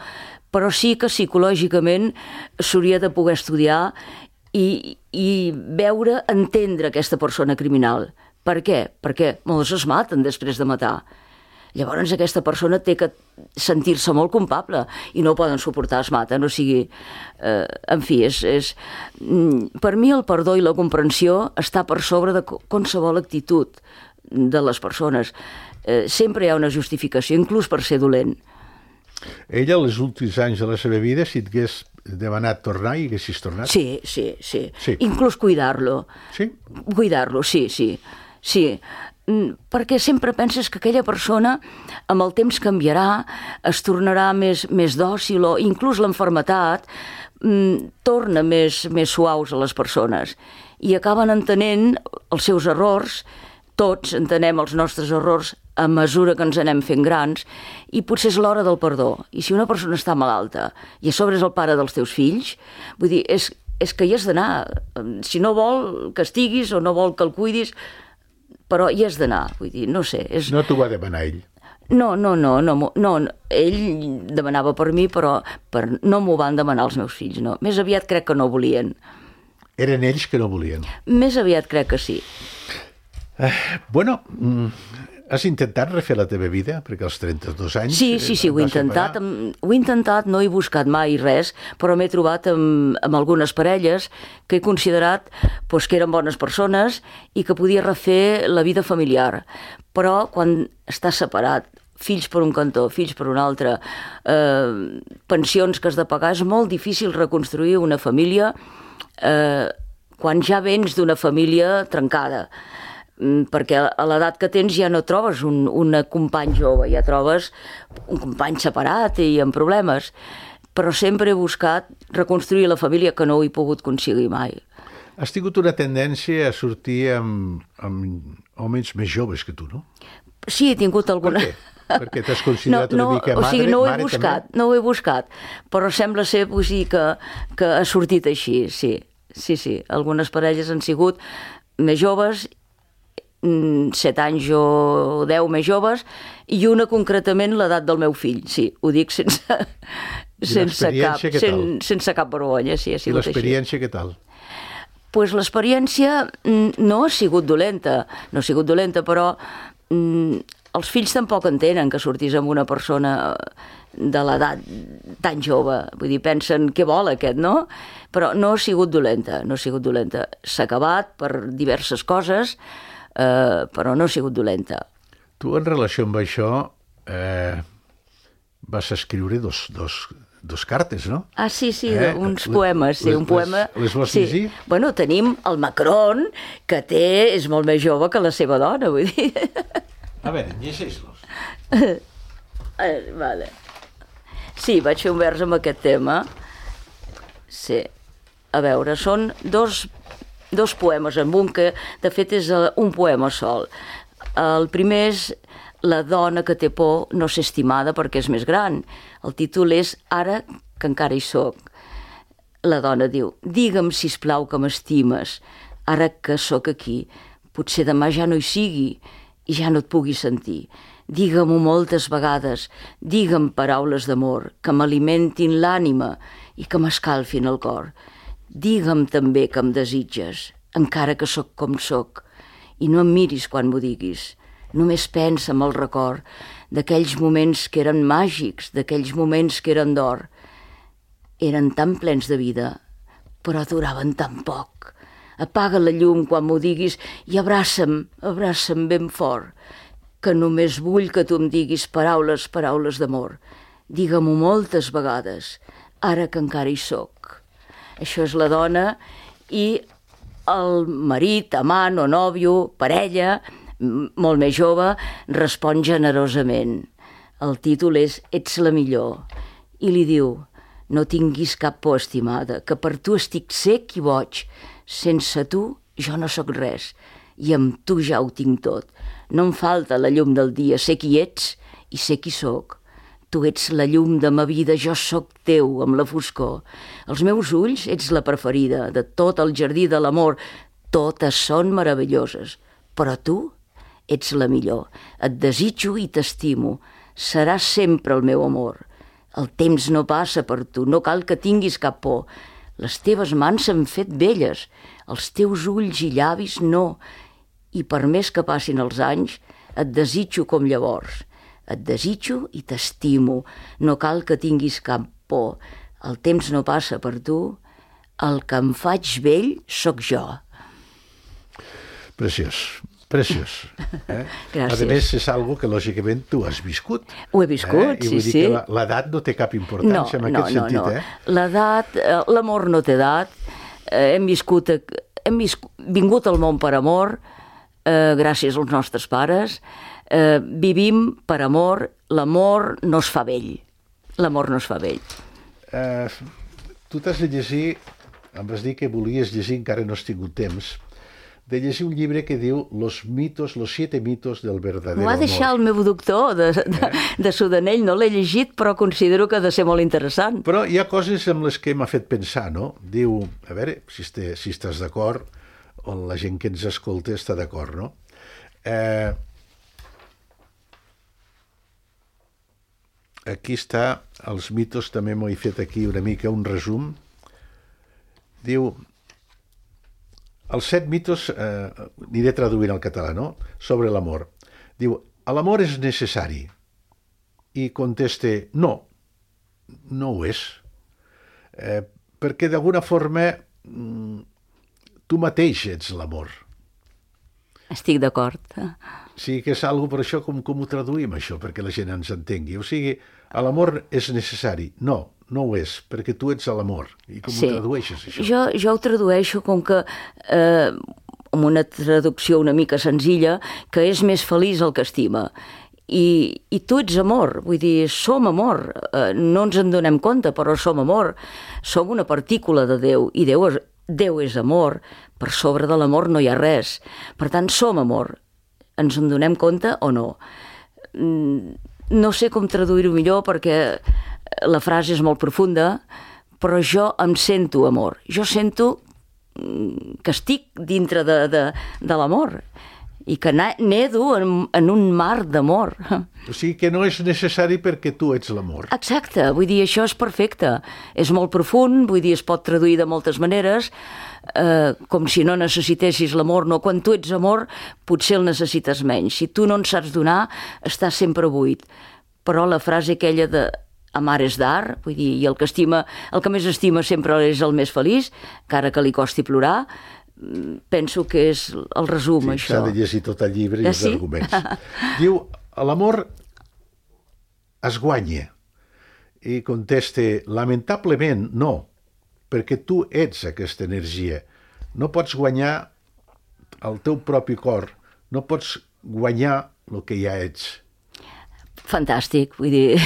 però sí que psicològicament s'hauria de poder estudiar i, i veure, entendre aquesta persona criminal. Per què? Perquè molts es maten després de matar. Llavors aquesta persona té que sentir-se molt culpable i no ho poden suportar, es maten, o sigui, eh, en fi, és, és, per mi el perdó i la comprensió està per sobre de qualsevol actitud de les persones. Eh, sempre hi ha una justificació, inclús per ser dolent. Ella, els últims anys de la seva vida, si et hagués demanat tornar i haguessis tornat? Sí, sí, sí. sí. Inclús cuidar-lo. Sí? Cuidar-lo, sí, sí. Sí, perquè sempre penses que aquella persona amb el temps canviarà, es tornarà més, més dòcil, o inclús l'enfermetat mm, torna més, més suaus a les persones i acaben entenent els seus errors. Tots entenem els nostres errors a mesura que ens anem fent grans i potser és l'hora del perdó. I si una persona està malalta i a sobre és el pare dels teus fills, vull dir, és, és que hi has d'anar. Si no vol que estiguis o no vol que el cuidis, però hi has d'anar, vull dir, no sé. És... No t'ho va demanar ell? No, no, no, no, no, ell demanava per mi, però per, no m'ho van demanar els meus fills, no. Més aviat crec que no volien. Eren ells que no volien? Més aviat crec que sí. Eh, bueno, has intentat refer la teva vida? Perquè als trenta-dos anys... Sí, sí, sí, ho he intentat. Ho he intentat, no he buscat mai res, però m'he trobat amb, amb algunes parelles que he considerat doncs, que eren bones persones i que podia refer la vida familiar. Però quan estàs separat, fills per un cantó, fills per un altre, eh, pensions que has de pagar, és molt difícil reconstruir una família eh, quan ja vens d'una família trencada, perquè a l'edat que tens ja no trobes un, un company jove, ja trobes un company separat i amb problemes, però sempre he buscat reconstruir la família, que no ho he pogut aconseguir mai. Has tingut una tendència a sortir amb, amb homes més joves que tu, no? Sí, he tingut alguna... Per què? Perquè t'has considerat no, no, una mica madre? O sigui, no ho he mare, buscat, també? no ho he buscat, però sembla ser o sigui, que, que ha sortit així, sí. Sí, sí, algunes parelles han sigut més joves, set anys o deu més joves, i una concretament l'edat del meu fill, sí, ho dic sense, sense, cap, sen, sense cap vergonya, sí, ha sigut així. I l'experiència què tal? Pues l'experiència no ha sigut dolenta, no ha sigut dolenta, però mm, els fills tampoc entenen que sortís amb una persona de l'edat tan jove, vull dir, pensen què vol aquest, no? Però no ha sigut dolenta, no ha sigut dolenta. S'ha acabat per diverses coses, eh, però no ha sigut dolenta. Tu, en relació amb això, eh, vas escriure dos, dos, dos cartes, no? Ah, sí, sí, eh? uns poemes, sí, les, un poema... Les, les vols sí. llegir? Bueno, tenim el Macron, que té, és molt més jove que la seva dona, vull dir... A veure, llegeix-los. eh, vale. Sí, vaig fer un vers amb aquest tema. Sí. A veure, són dos, dos poemes en un, que de fet és un poema sol. El primer és La dona que té por no ser estimada perquè és més gran. El títol és Ara que encara hi soc. La dona diu: digue'm, sisplau, que m'estimes, ara que sóc aquí. Potser demà ja no hi sigui i ja no et pugui sentir. Digue-m'ho moltes vegades, digue'm paraules d'amor que m'alimentin l'ànima i que m'escalfin el cor. Digue'm també que em desitges, encara que sóc com sóc, i no em miris quan m'ho diguis. Només pensa en el record d'aquells moments que eren màgics, d'aquells moments que eren d'or. Eren tan plens de vida, però duraven tan poc. Apaga la llum quan m'ho diguis i abraça'm, abraça'm ben fort, que només vull que tu em diguis paraules, paraules d'amor. Digue-m'ho moltes vegades, ara que encara hi soc. Això és la dona, i el marit, amant o nòvio, parella, molt més jove, respon generosament. El títol és Ets la millor. I li diu: no tinguis cap por, estimada, que per tu estic sec i boig. Sense tu jo no sóc res, i amb tu ja ho tinc tot. No em falta la llum del dia, sé qui ets i sé qui sóc. Tu ets la llum de ma vida, jo sóc teu amb la foscor. Els meus ulls ets la preferida de tot el jardí de l'amor. Totes són meravelloses, però tu ets la millor. Et desitjo i t'estimo. Seràs sempre el meu amor. El temps no passa per tu, no cal que tinguis cap por. Les teves mans s'han fet velles, els teus ulls i llavis no. I per més que passin els anys, et desitjo com llavors. Et desitjo i t'estimo. No cal que tinguis cap por. El temps no passa per tu. El que em faig vell sóc jo. Preciós. Preciós. Eh? Gràcies. A més, és algo que lògicament tu has viscut. Ho he viscut, eh? I sí, vull dir sí. que l'edat no té cap importància no, en no, aquest no, sentit, no. eh? L'edat, l'amor no té edat. Eh, hem viscut, hem viscut, vingut al món per amor, eh, gràcies als nostres pares. Eh, vivim per amor. L'amor no es fa vell. L'amor no es fa vell. Eh, tu t'has de llegir, em vas dir que volies llegir, encara no has tingut temps, de llegir un llibre que diu Los mitos, los siete mitos del verdadero amor. M'ho ha deixat el meu doctor de, de, de Sudanell, no l'he llegit, però considero que ha de ser molt interessant. Però hi ha coses amb les que m'ha fet pensar, no? Diu, a veure, si, este, si estàs d'acord, o la gent que ens escolta està d'acord, no? Eh, aquí està, els mitos, també m'ho he fet aquí una mica un resum. Diu, els set mitos, eh, aniré traduint al català, no?, sobre l'amor. Diu, l'amor és necessari. I conteste, no, no ho és. Eh, perquè d'alguna forma tu mateix ets l'amor. Estic d'acord. O sigui que és algo, per això, com, com ho traduïm, això, perquè la gent ens entengui. O sigui, l'amor és necessari. No, no ho és, perquè tu ets l'amor. I com Sí. ho tradueixes, això? Jo, jo ho tradueixo com que, eh, amb una traducció una mica senzilla, que és més feliç el que estima. I, i tu ets amor, vull dir, som amor. Eh, no ens en donem compte, però som amor. Som una partícula de Déu, i Déu és, Déu és amor. Per sobre de l'amor no hi ha res. Per tant, som amor. Ens en donem compte o no? No sé com traduir-ho millor perquè la frase és molt profunda, però jo em sento amor. Jo sento que estic dintre de, de, de l'amor i que nedo en, en un mar d'amor. O sigui que no és necessari perquè tu ets l'amor. Exacte, vull dir, això és perfecte. És molt profund, vull dir, es pot traduir de moltes maneres, eh, com si no necessitessis l'amor. No, quan tu ets amor, potser el necessites menys. Si tu no en saps donar, estàs sempre buit. Però la frase aquella de amar és dar, vull dir, i el que estima, el que més estima sempre és el més feliç, encara que li costi plorar, penso que és el resum, Sí, això. s'ha de llegir tot el llibre i Ah, els sí? arguments. Diu, l'amor es guanya. I conteste, lamentablement no, perquè tu ets aquesta energia. No pots guanyar el teu propi cor, no pots guanyar el que ja ets. Fantàstic, vull dir,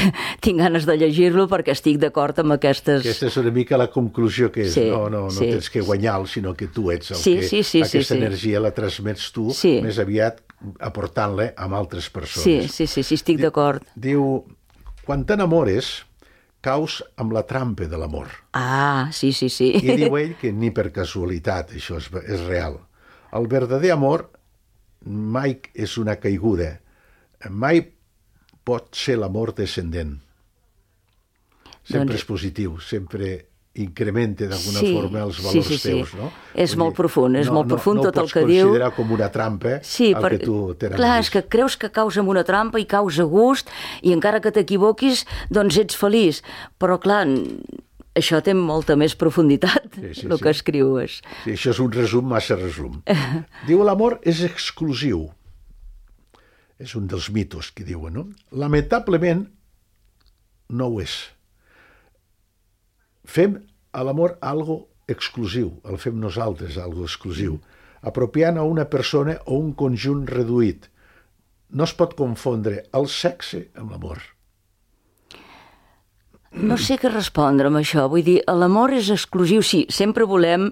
tinc ganes de llegir-lo perquè estic d'acord amb aquestes... Aquesta és una mica la conclusió que és. Sí, no, no, no sí. tens que guanyar-lo, sinó que tu ets el Sí, que... sí, sí, aquesta sí, sí. energia la transmets tu, Sí. més aviat aportant-la a altres persones. Sí, sí, sí, sí, estic d'acord. Diu, quan t'enamores, caus amb la trampa de l'amor. Ah, sí, sí, sí. I diu ell que ni per casualitat, això és, és real. El verdader amor mai és una caiguda, mai pot ser l'amor descendent. Sempre Doncs- és positiu, sempre incrementa d'alguna Sí, forma els sí, valors sí, sí. teus, no? És Vull molt dir, profund, és molt profund no tot el que No diu. ho pots considerar com una trampa Sí, el per... que tu t'enamoris. clar, és que creus que caus en una trampa i caus a gust i encara que t'equivoquis, doncs ets feliç. Però clar, això té molta més profunditat, Sí, sí, el sí. que escrius. Sí, això és un resum, massa resum. Diu, l'amor és exclusiu. És un dels mitos que diuen, no? Lamentablement, no ho és. Fem a l'amor algo exclusiu, el fem nosaltres, algo exclusiu, apropiant a una persona o un conjunt reduït. No es pot confondre el sexe amb l'amor. No sé què respondre amb això, vull dir, l'amor és exclusiu, sí, sempre volem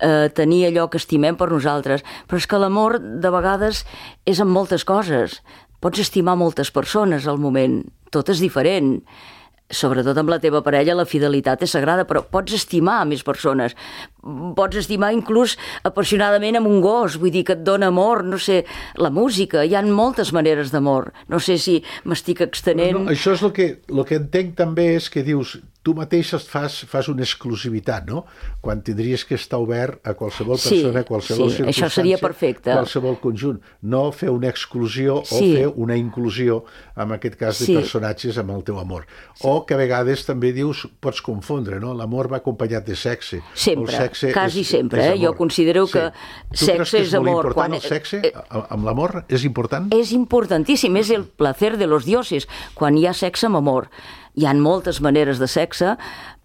eh, tenir allò que estimem per nosaltres, però és que l'amor de vegades és en moltes coses. Pots estimar moltes persones al moment, tot és diferent. Sobretot amb la teva parella la fidelitat és sagrada, però pots estimar més persones. Pots estimar inclús apassionadament amb un gos, vull dir que et dona amor, no sé, la música, hi ha moltes maneres d'amor. No sé si m'estic extenent... No, això és el que, el que entenc també és que dius, tu mateix fas, fas una exclusivitat, no? Quan tindries que estar obert a qualsevol Sí, persona, a qualsevol sí, circumstància, això seria perfecte. qualsevol conjunt. No fer una exclusió Sí. o fer una inclusió, en aquest cas de Sí. personatges, amb el teu amor. O que a vegades també dius, pots confondre, no? L'amor va acompanyat de sexe. Sempre, El sexe quasi és, sempre, és eh? Jo amor. considero que Tu sexe creus que és amor. molt important Quan- el sexe eh, a- amb l'amor? És important? És importantíssim, és el placer de los dioses. Quan hi ha sexe amb amor. Hi ha moltes maneres de sexe,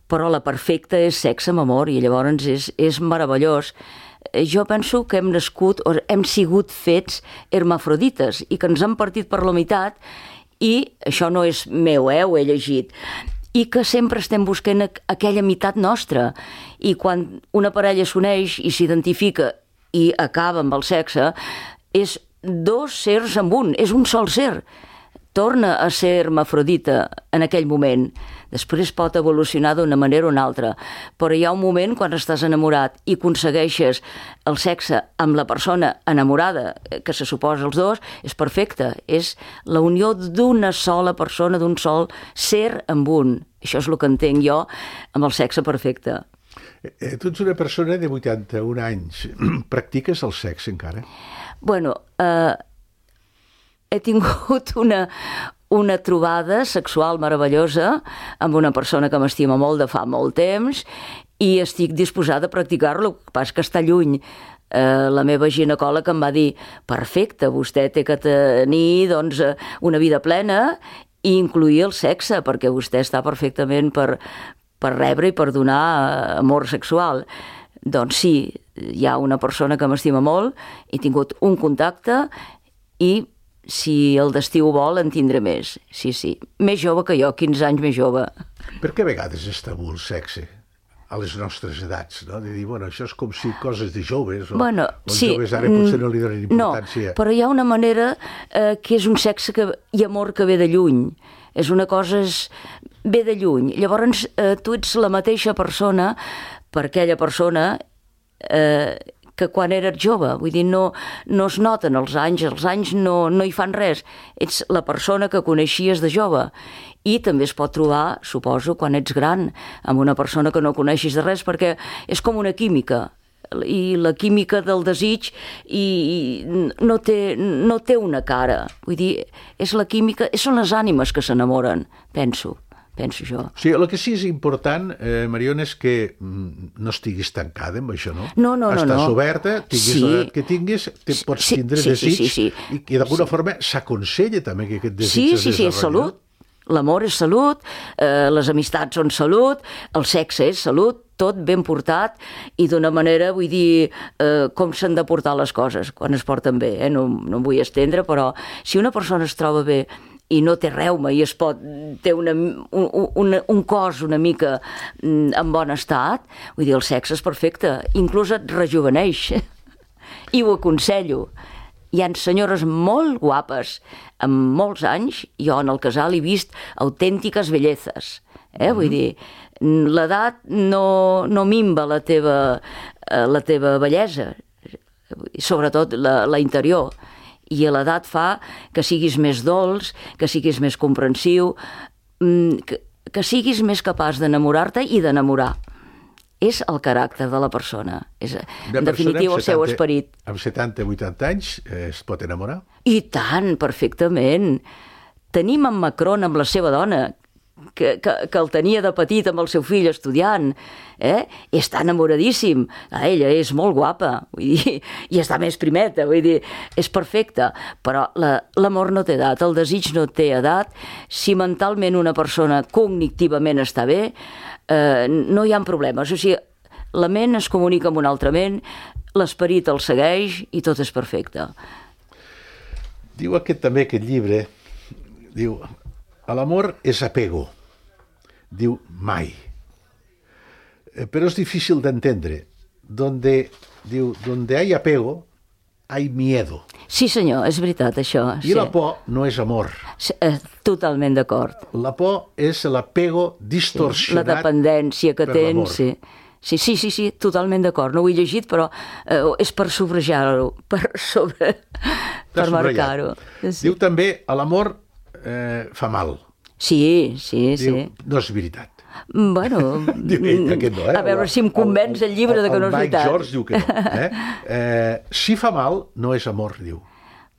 però la perfecta és sexe amb amor i llavors és, és meravellós. Eh, Jo penso que hem nascut, o hem sigut fets hermafrodites i que ens han partit per la meitat i això no és meu, eh, ho he llegit, i que sempre estem buscant aqu- aquella meitat nostra. I quan una parella s'uneix i s'identifica i acaba amb el sexe, és dos sers en un, és un sol ser. Torna a ser hermafrodita en aquell moment. Després pot evolucionar d'una manera o una altra. Però hi ha un moment quan estàs enamorat i aconsegueixes el sexe amb la persona enamorada, que se suposa els dos, és perfecte. És la unió d'una sola persona, d'un sol ser amb un. Això és el que entenc jo amb el sexe perfecte. Eh, tu ets una persona de vuitanta-un anys. Practiques el sexe encara? Bueno, eh, he tingut una, una trobada sexual meravellosa amb una persona que m'estima molt de fa molt temps i estic disposada a practicar-lo, el que passa que està lluny. Eh, la meva ginecòleg em va dir perfecte, vostè té que tenir doncs, una vida plena i incluir el sexe, perquè vostè està perfectament per, per rebre i per donar amor sexual. Doncs sí, hi ha una persona que m'estima molt, he tingut un contacte i si el destí ho vol en tindré més. Sí, sí, més jove que jo, quinze anys més jove. Per què a vegades és tabú el sexe? A les nostres edats, no? De dir, bueno, això és com si coses de joves, o bueno, els sí, joves ara potser no li donen importància. No, però hi ha una manera eh, que és un sexe que, i amor que ve de lluny. És una cosa, és, ve de lluny. Llavors, eh, tu ets la mateixa persona per aquella persona eh, que quan eres jove. Vull dir, no, no es noten els anys, els anys no, no hi fan res. Ets la persona que coneixies de jove. I també es pot trobar, suposo, quan ets gran, amb una persona que no coneixis de res, perquè és com una química, i la química del desig i, i no, té, no té una cara. Vull dir, és la química, són les ànimes que s'enamoren, penso, penso jo. Sí, el que sí és important, eh, Mariona, és que no estiguis tancada amb això, no? No, no, no. Estàs no. oberta, tinguis sí. l'edat que tinguis, te pots sí, tindre sí, desig, sí, sí, sí. i, i d'alguna sí. forma s'aconsella també que aquest desig sí, es sí, sí, és salut. L'amor és salut, eh, les amistats són salut, el sexe és salut, tot ben portat i d'una manera, vull dir, eh, com s'han de portar les coses quan es porten bé, eh? no, no em vull estendre, però si una persona es troba bé i no té reuma i es pot, té una, un, un, un cos una mica en bon estat, vull dir, el sexe és perfecte, inclús et rejuveneix i ho aconsello. Hi ha senyores molt guapes, amb molts anys, jo en el casal he vist autèntiques bellezes. Eh? Mm-hmm. Vull dir, l'edat no, no minva la teva, la teva bellesa, sobretot la, la interior. I l'edat fa que siguis més dolç, que siguis més comprensiu, que, que siguis més capaç d'enamorar-te i d'enamorar. És el caràcter de la persona, és en definitiu el seu esperit. Amb setanta o vuitanta anys eh, es pot enamorar? I tant, perfectament. Tenim en Macron amb la seva dona, que, que, que el tenia de petit amb el seu fill estudiant, eh? Està enamoradíssim, a ella és molt guapa, vull dir, i està més primeta, vull dir, és perfecta, però la, l'amor no té edat, el desig no té edat, si mentalment una persona cognitivament està bé, eh, no hi ha problemes, o sigui, la ment es comunica amb una altra ment, l'esperit el segueix i tot és perfecte. Diu aquest també, aquest llibre, diu, l'amor és apego, diu mai. Pero es difícil de entendre. Donde, diu, donde hay apego, hay miedo. Sí, senyor, és veritat, això. I sí. la por no és amor. Sí, totalment d'acord. La por és l'apego distorsionat. La dependència que per l'amor. tens, sí. Sí, sí, sí, sí, totalment d'acord. No ho he llegit, però eh, és per subratllar-ho, per sobre... per marcar-ho. Sí. Diu també, l'amor eh, fa mal. Sí, sí, Diu, sí. no és veritat. Bueno, diu, ell, aquest no, eh? a veure si em convenç el, el llibre de que no és veritat. El Mike George diu que no. Eh? Eh, si fa mal, no és amor, diu.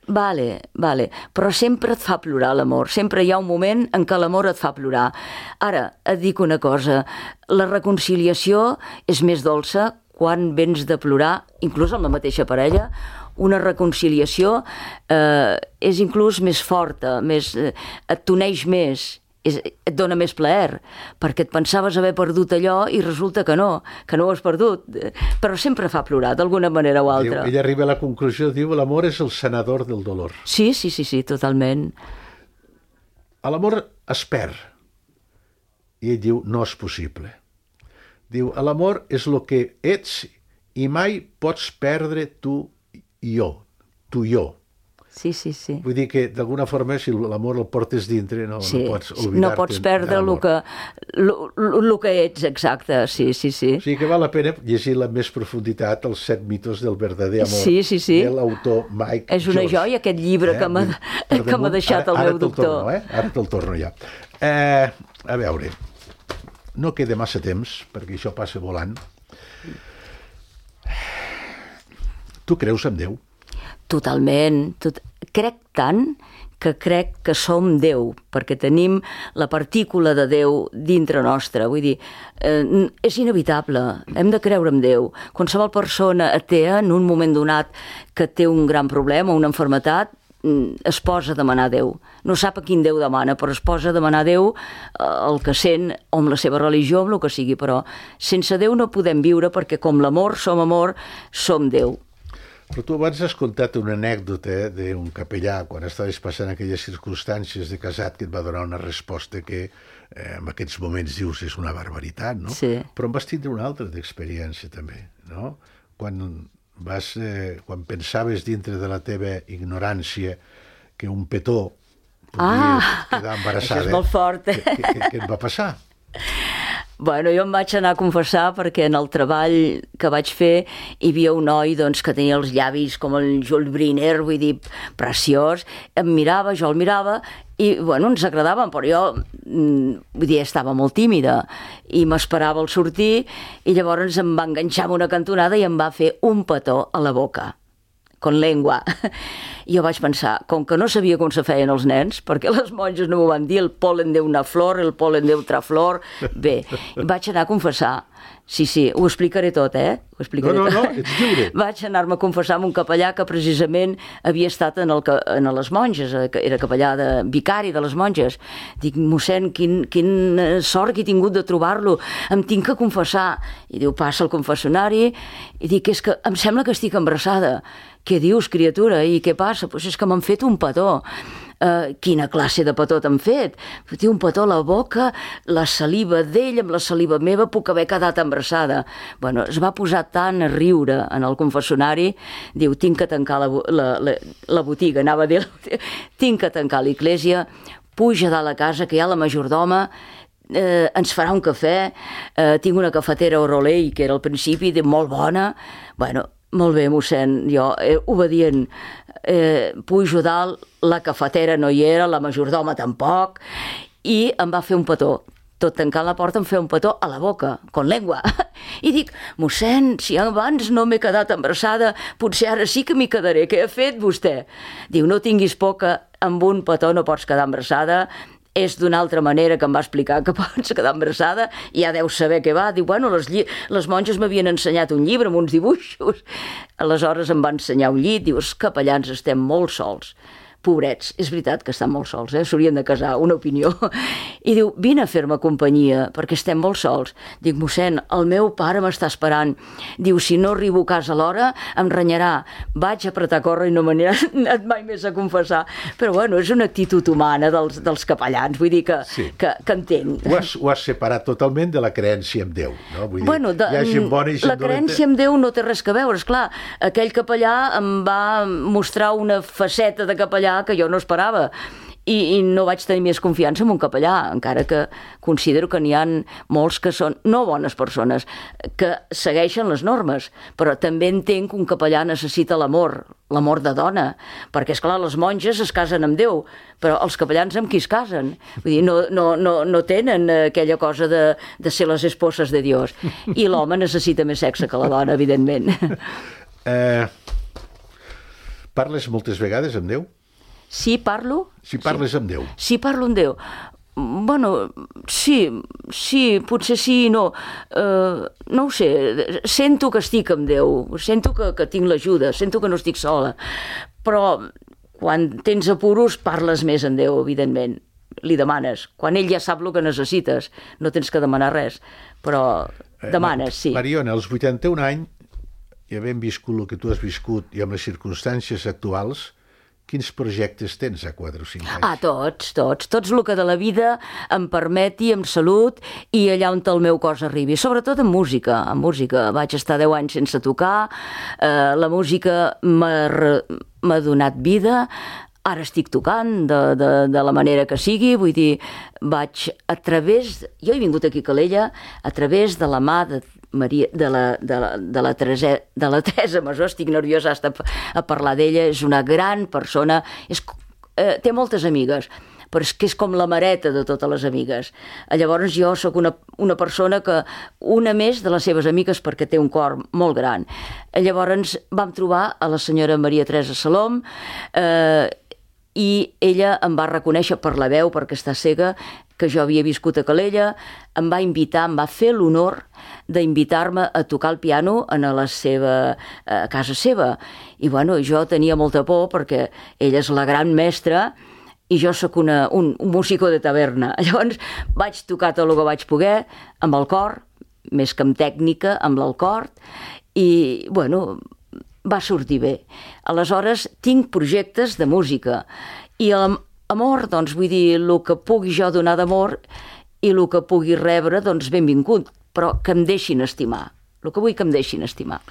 Vale, vale, però sempre et fa plorar l'amor, sempre hi ha un moment en què l'amor et fa plorar. Ara, et dic una cosa, la reconciliació és més dolça quan vens de plorar, inclús amb la mateixa parella, una reconciliació eh, és inclús més forta, més, eh, et t'uneix més, és, et dona més plaer, perquè et pensaves haver perdut allò i resulta que no, que no ho has perdut, però sempre fa plorar, d'alguna manera o altra. Diu, ella arriba a la conclusió, diu, l'amor és el sanador del dolor. Sí, sí, sí, sí, totalment. L'amor es perd. I ell diu, no és possible. Diu, l'amor és el que ets i mai pots perdre tu i jo, tu i jo. Sí, sí, sí. Vull dir que, d'alguna forma, si l'amor el portes dintre, no, sí, no pots oblidar-te. No pots perdre el que, lo, lo que ets, exacte, sí, sí, sí. O sigui que val la pena llegir amb més profunditat els set mitos del verdader amor sí, sí, sí. de l'autor Mike George. És una joia, aquest llibre eh? que m'ha que m'ha deixat ara, el meu doctor. Torno, eh? Ara te'l torno ja. Eh, a veure, no queda massa temps, perquè això passa volant. Tu creus en Déu? Totalment. Tot... Crec tant que crec que som Déu, perquè tenim la partícula de Déu dintre nostre. Vull dir, eh, és inevitable, hem de creure en Déu. Qualsevol persona atea, en un moment donat que té un gran problema, una malaltia, es posa a demanar a Déu. No sap a quin Déu demana, però es posa a demanar a Déu el que sent, o amb la seva religió, amb el que sigui, però sense Déu no podem viure, perquè com l'amor som amor, som Déu. Però tu abans has contat una anècdota d'un capellà, quan estaves passant aquelles circumstàncies de casat, que et va donar una resposta que eh, en aquests moments dius és una barbaritat, no? Sí. Però en vas tindre una altra d'experiència, també, no? Quan, vas, eh, quan pensaves dintre de la teva ignorància que un petó podia ah, quedar embarassada. Això és molt fort. Què, què, què et va passar? Bueno, jo em vaig anar a confessar perquè en el treball que vaig fer hi havia un noi doncs, que tenia els llavis com el Jules Briner, vull dir, preciós. Em mirava, jo el mirava i, bueno, ens agradaven, però jo, vull dir, estava molt tímida i m'esperava al sortir i llavors em va enganxar amb una cantonada i em va fer un petó a la boca, con lengua. I jo vaig pensar, com que no sabia com se feien els nens, perquè les monges no m'ho van dir, el polen de una flor, el polen de otra flor, bé, vaig anar a confessar. Sí, sí, ho explicaré tot, eh? Ho explicaré no, no, tot. no, ets lliure. Vaig anar-me a confessar amb un capellà que precisament havia estat en, el, en les monges, era capellà de vicari de les monges. Dic, mossèn, quin, quin sort que he tingut de trobar-lo, em tinc que confessar. I diu, passa al confessionari, i dic, és que em sembla que estic embarassada. Què dius, criatura? I què passa? Pues és que m'han fet un petó. Uh, quina classe de petó t'han fet? Té un petó a la boca, la saliva d'ell amb la saliva meva, puc haver quedat embarassada. Bueno, es va posar tant a riure en el confessionari, diu, tinc que tancar la, la, la, la botiga, anava a dir, tinc que tancar l'església, puja dalt a casa, que hi ha la majordoma, eh, ens farà un cafè, eh, tinc una cafetera Orolei, que era al principi, de molt bona, bueno, molt bé, mossèn, jo, eh, obedient, eh, pujo dalt, la cafetera no hi era, la majordoma tampoc, i em va fer un petó. Tot tancant la porta em feia un petó a la boca, con lengua. I dic, mossèn, si abans no m'he quedat embarassada, potser ara sí que m'hi quedaré. Què ha fet vostè? Diu, no tinguis por que amb un petó no pots quedar embarassada, és d'una altra manera que em va explicar que pots quedar embarassada, ja deu saber què va. Diu, bueno, les, lli... les monges m'havien ensenyat un llibre amb uns dibuixos. Aleshores em va ensenyar un llit, diu, els capellans estem molt sols. Pobrets, és veritat que estan molt sols, eh? S'haurien de casar, una opinió. I diu, vine a fer-me companyia, perquè estem molt sols. Dic, mossèn, el meu pare m'està esperant. Diu, si no arribo a casa a l'hora, em renyarà. Vaig apretar a córrer i no me n'he anat mai més a confessar. Però, bueno, és una actitud humana dels, dels capellans, vull dir que, sí. que, que entenc. Ho has, ho has separat totalment de la creença en Déu, no? Vull dir, bueno, de, hi ha gent bona i gent la creença en Déu no té res a veure, esclar. Aquell capellà em va mostrar una faceta de capellà que jo no esperava i, i no vaig tenir més confiança en un capellà, encara que considero que n'hi ha molts que són no bones persones, que segueixen les normes, però també entenc que un capellà necessita l'amor, l'amor de dona, perquè, esclar, les monges es casen amb Déu, però els capellans amb qui es casen? Vull dir, no, no, no, no tenen aquella cosa de, de ser les esposes de Dios, i l'home necessita més sexe que la dona, evidentment. Eh, parles moltes vegades amb Déu? Sí, parlo. Si parles sí. amb Déu. Sí, parlo amb Déu. Bueno, sí, sí, potser sí i no. Uh, no ho sé, sento que estic amb Déu, sento que, que tinc l'ajuda, sento que no estic sola, però quan tens apuros parles més amb Déu, evidentment. Li demanes. Quan ell ja sap el que necessites, no tens que demanar res, però demanes, sí. Mariona, als vuitanta-un anys, i havent viscut el que tu has viscut i amb les circumstàncies actuals, quins projectes tens a quatre o cinc anys? Ah, tots, tots. Tots el que de la vida em permeti, amb salut, i allà on el meu cos arribi. Sobretot en música. En música. Vaig estar deu anys sense tocar. Eh, la música m'ha donat vida. Ara estic tocant de, de, de la manera que sigui. Vull dir, vaig a través... Jo he vingut aquí a Calella a través de la mà de Maria, de la, de la, de la, Teresa, de la Teresa Masó, estic nerviosa a parlar d'ella, és una gran persona, és, eh, té moltes amigues, però és que és com la mareta de totes les amigues. Llavors jo sóc una, una persona que, una més de les seves amigues, perquè té un cor molt gran. Llavors vam trobar a la senyora Maria Teresa Salom, eh, i ella em va reconèixer per la veu, perquè està cega, que jo havia viscut a Calella, em va invitar, em va fer l'honor d'invitar-me a tocar el piano en la seva, a casa seva. I bueno, jo tenia molta por perquè ella és la gran mestra i jo sóc una, un, un músico de taverna. Llavors vaig tocar tot el que vaig poder amb el cor, més que amb tècnica, amb l'alcord, i bueno, va sortir bé. Aleshores tinc projectes de música i el amor, doncs vull dir, el que pugui jo donar d'amor i el que pugui rebre, doncs benvingut, però que em deixin estimar, el que vull que em deixin estimar.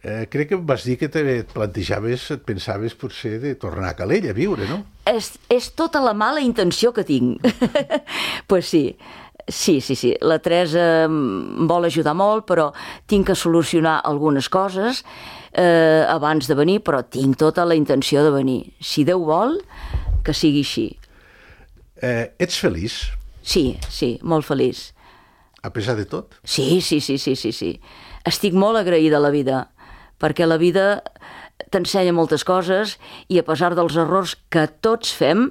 Eh, crec que em vas dir que te plantejaves, et pensaves potser de tornar a Calella a viure, no? És, és tota la mala intenció que tinc. Pues sí, sí, sí, sí. La Teresa em vol ajudar molt, però tinc que solucionar algunes coses eh, abans de venir, però tinc tota la intenció de venir. Si Déu vol, que sigui així. Eh, ets feliç? Sí, sí, molt feliç. A pesar de tot? Sí, sí, sí, sí, sí, sí. Estic molt agraïda a la vida, perquè la vida t'ensenya moltes coses i a pesar dels errors que tots fem,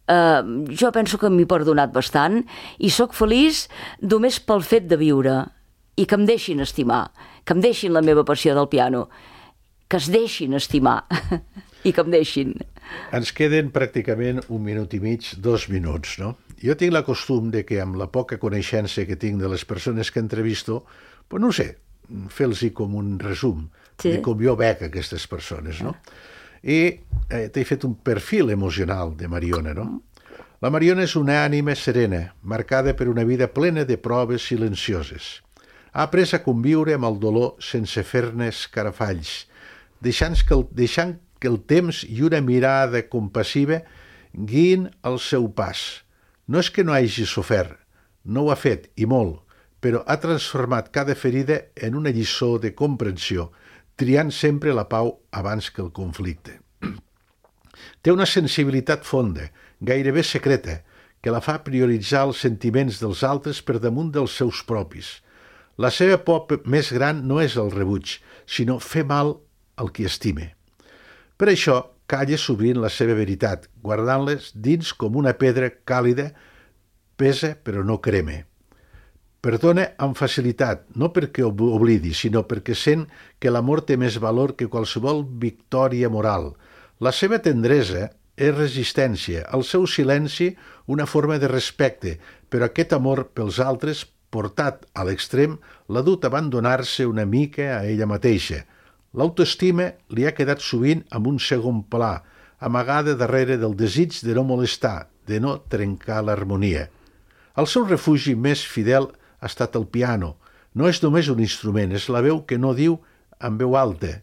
eh, jo penso que m'he perdonat bastant i sóc feliç només pel fet de viure i que em deixin estimar, que em deixin la meva passió del piano, que es deixin estimar i que em deixin. Ens queden pràcticament un minut i mig, dos minuts, no? Jo tinc la costum de que amb la poca coneixença que tinc de les persones que entrevisto, pues no ho sé, fer-los com un resum sí. de com jo veig aquestes persones, no? I eh, t'he fet un perfil emocional de Mariona, no? La Mariona és una ànima serena, marcada per una vida plena de proves silencioses. Ha après a conviure amb el dolor sense fer-ne escarafalls, deixant que el, deixant que el temps i una mirada compassiva guiïn el seu pas. No és que no hagi sofert, no ho ha fet, i molt, però ha transformat cada ferida en una lliçó de comprensió, triant sempre la pau abans que el conflicte. Té una sensibilitat fonda, gairebé secreta, que la fa prioritzar els sentiments dels altres per damunt dels seus propis. La seva por més gran no és el rebuig, sinó fer mal al qui estime. Per això, calla sovint la seva veritat, guardant-les dins com una pedra càlida, pesa però no crema. Perdona amb facilitat, no perquè oblidi, sinó perquè sent que l'amor té més valor que qualsevol victòria moral. La seva tendresa és resistència, el seu silenci una forma de respecte, però aquest amor pels altres, portat a l'extrem, l'ha dut a abandonar-se una mica a ella mateixa. L'autoestima li ha quedat sovint amb un segon pla, amagada darrere del desig de no molestar, de no trencar l'harmonia. El seu refugi més fidel ha estat el piano. No és només un instrument, és la veu que no diu amb veu alta,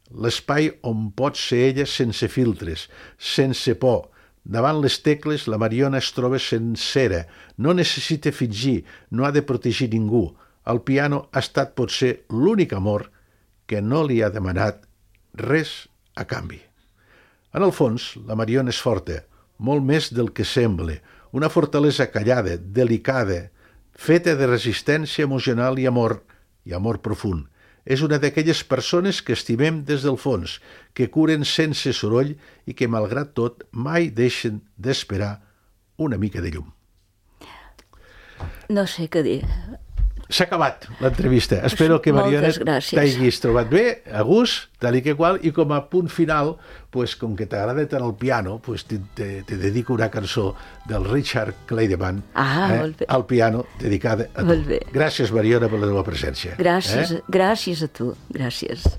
l'espai on pot ser ella sense filtres, sense por. Davant les tecles la Mariona es troba sencera, no necessita fingir, no ha de protegir ningú. El piano ha estat potser l'únic amor que no li ha demanat res a canvi. En el fons, la Mariona és forta, molt més del que sembla, una fortalesa callada, delicada, feta de resistència emocional i amor, i amor profund. És una d'aquelles persones que estimem des del fons, que curen sense soroll i que, malgrat tot, mai deixen d'esperar una mica de llum. No sé què dir. S'ha acabat l'entrevista. Espero que, Mariona, t'hagis trobat bé, a gust, tal i que qual, i com a punt final, pues, com que t'agrada tant el piano, pues, te, te, te dedico una cançó del Richard Clayderman, ah, eh, al piano, dedicada a tu. Gràcies, Mariona, per la teva presència. Gràcies, eh? gràcies a tu. Gràcies.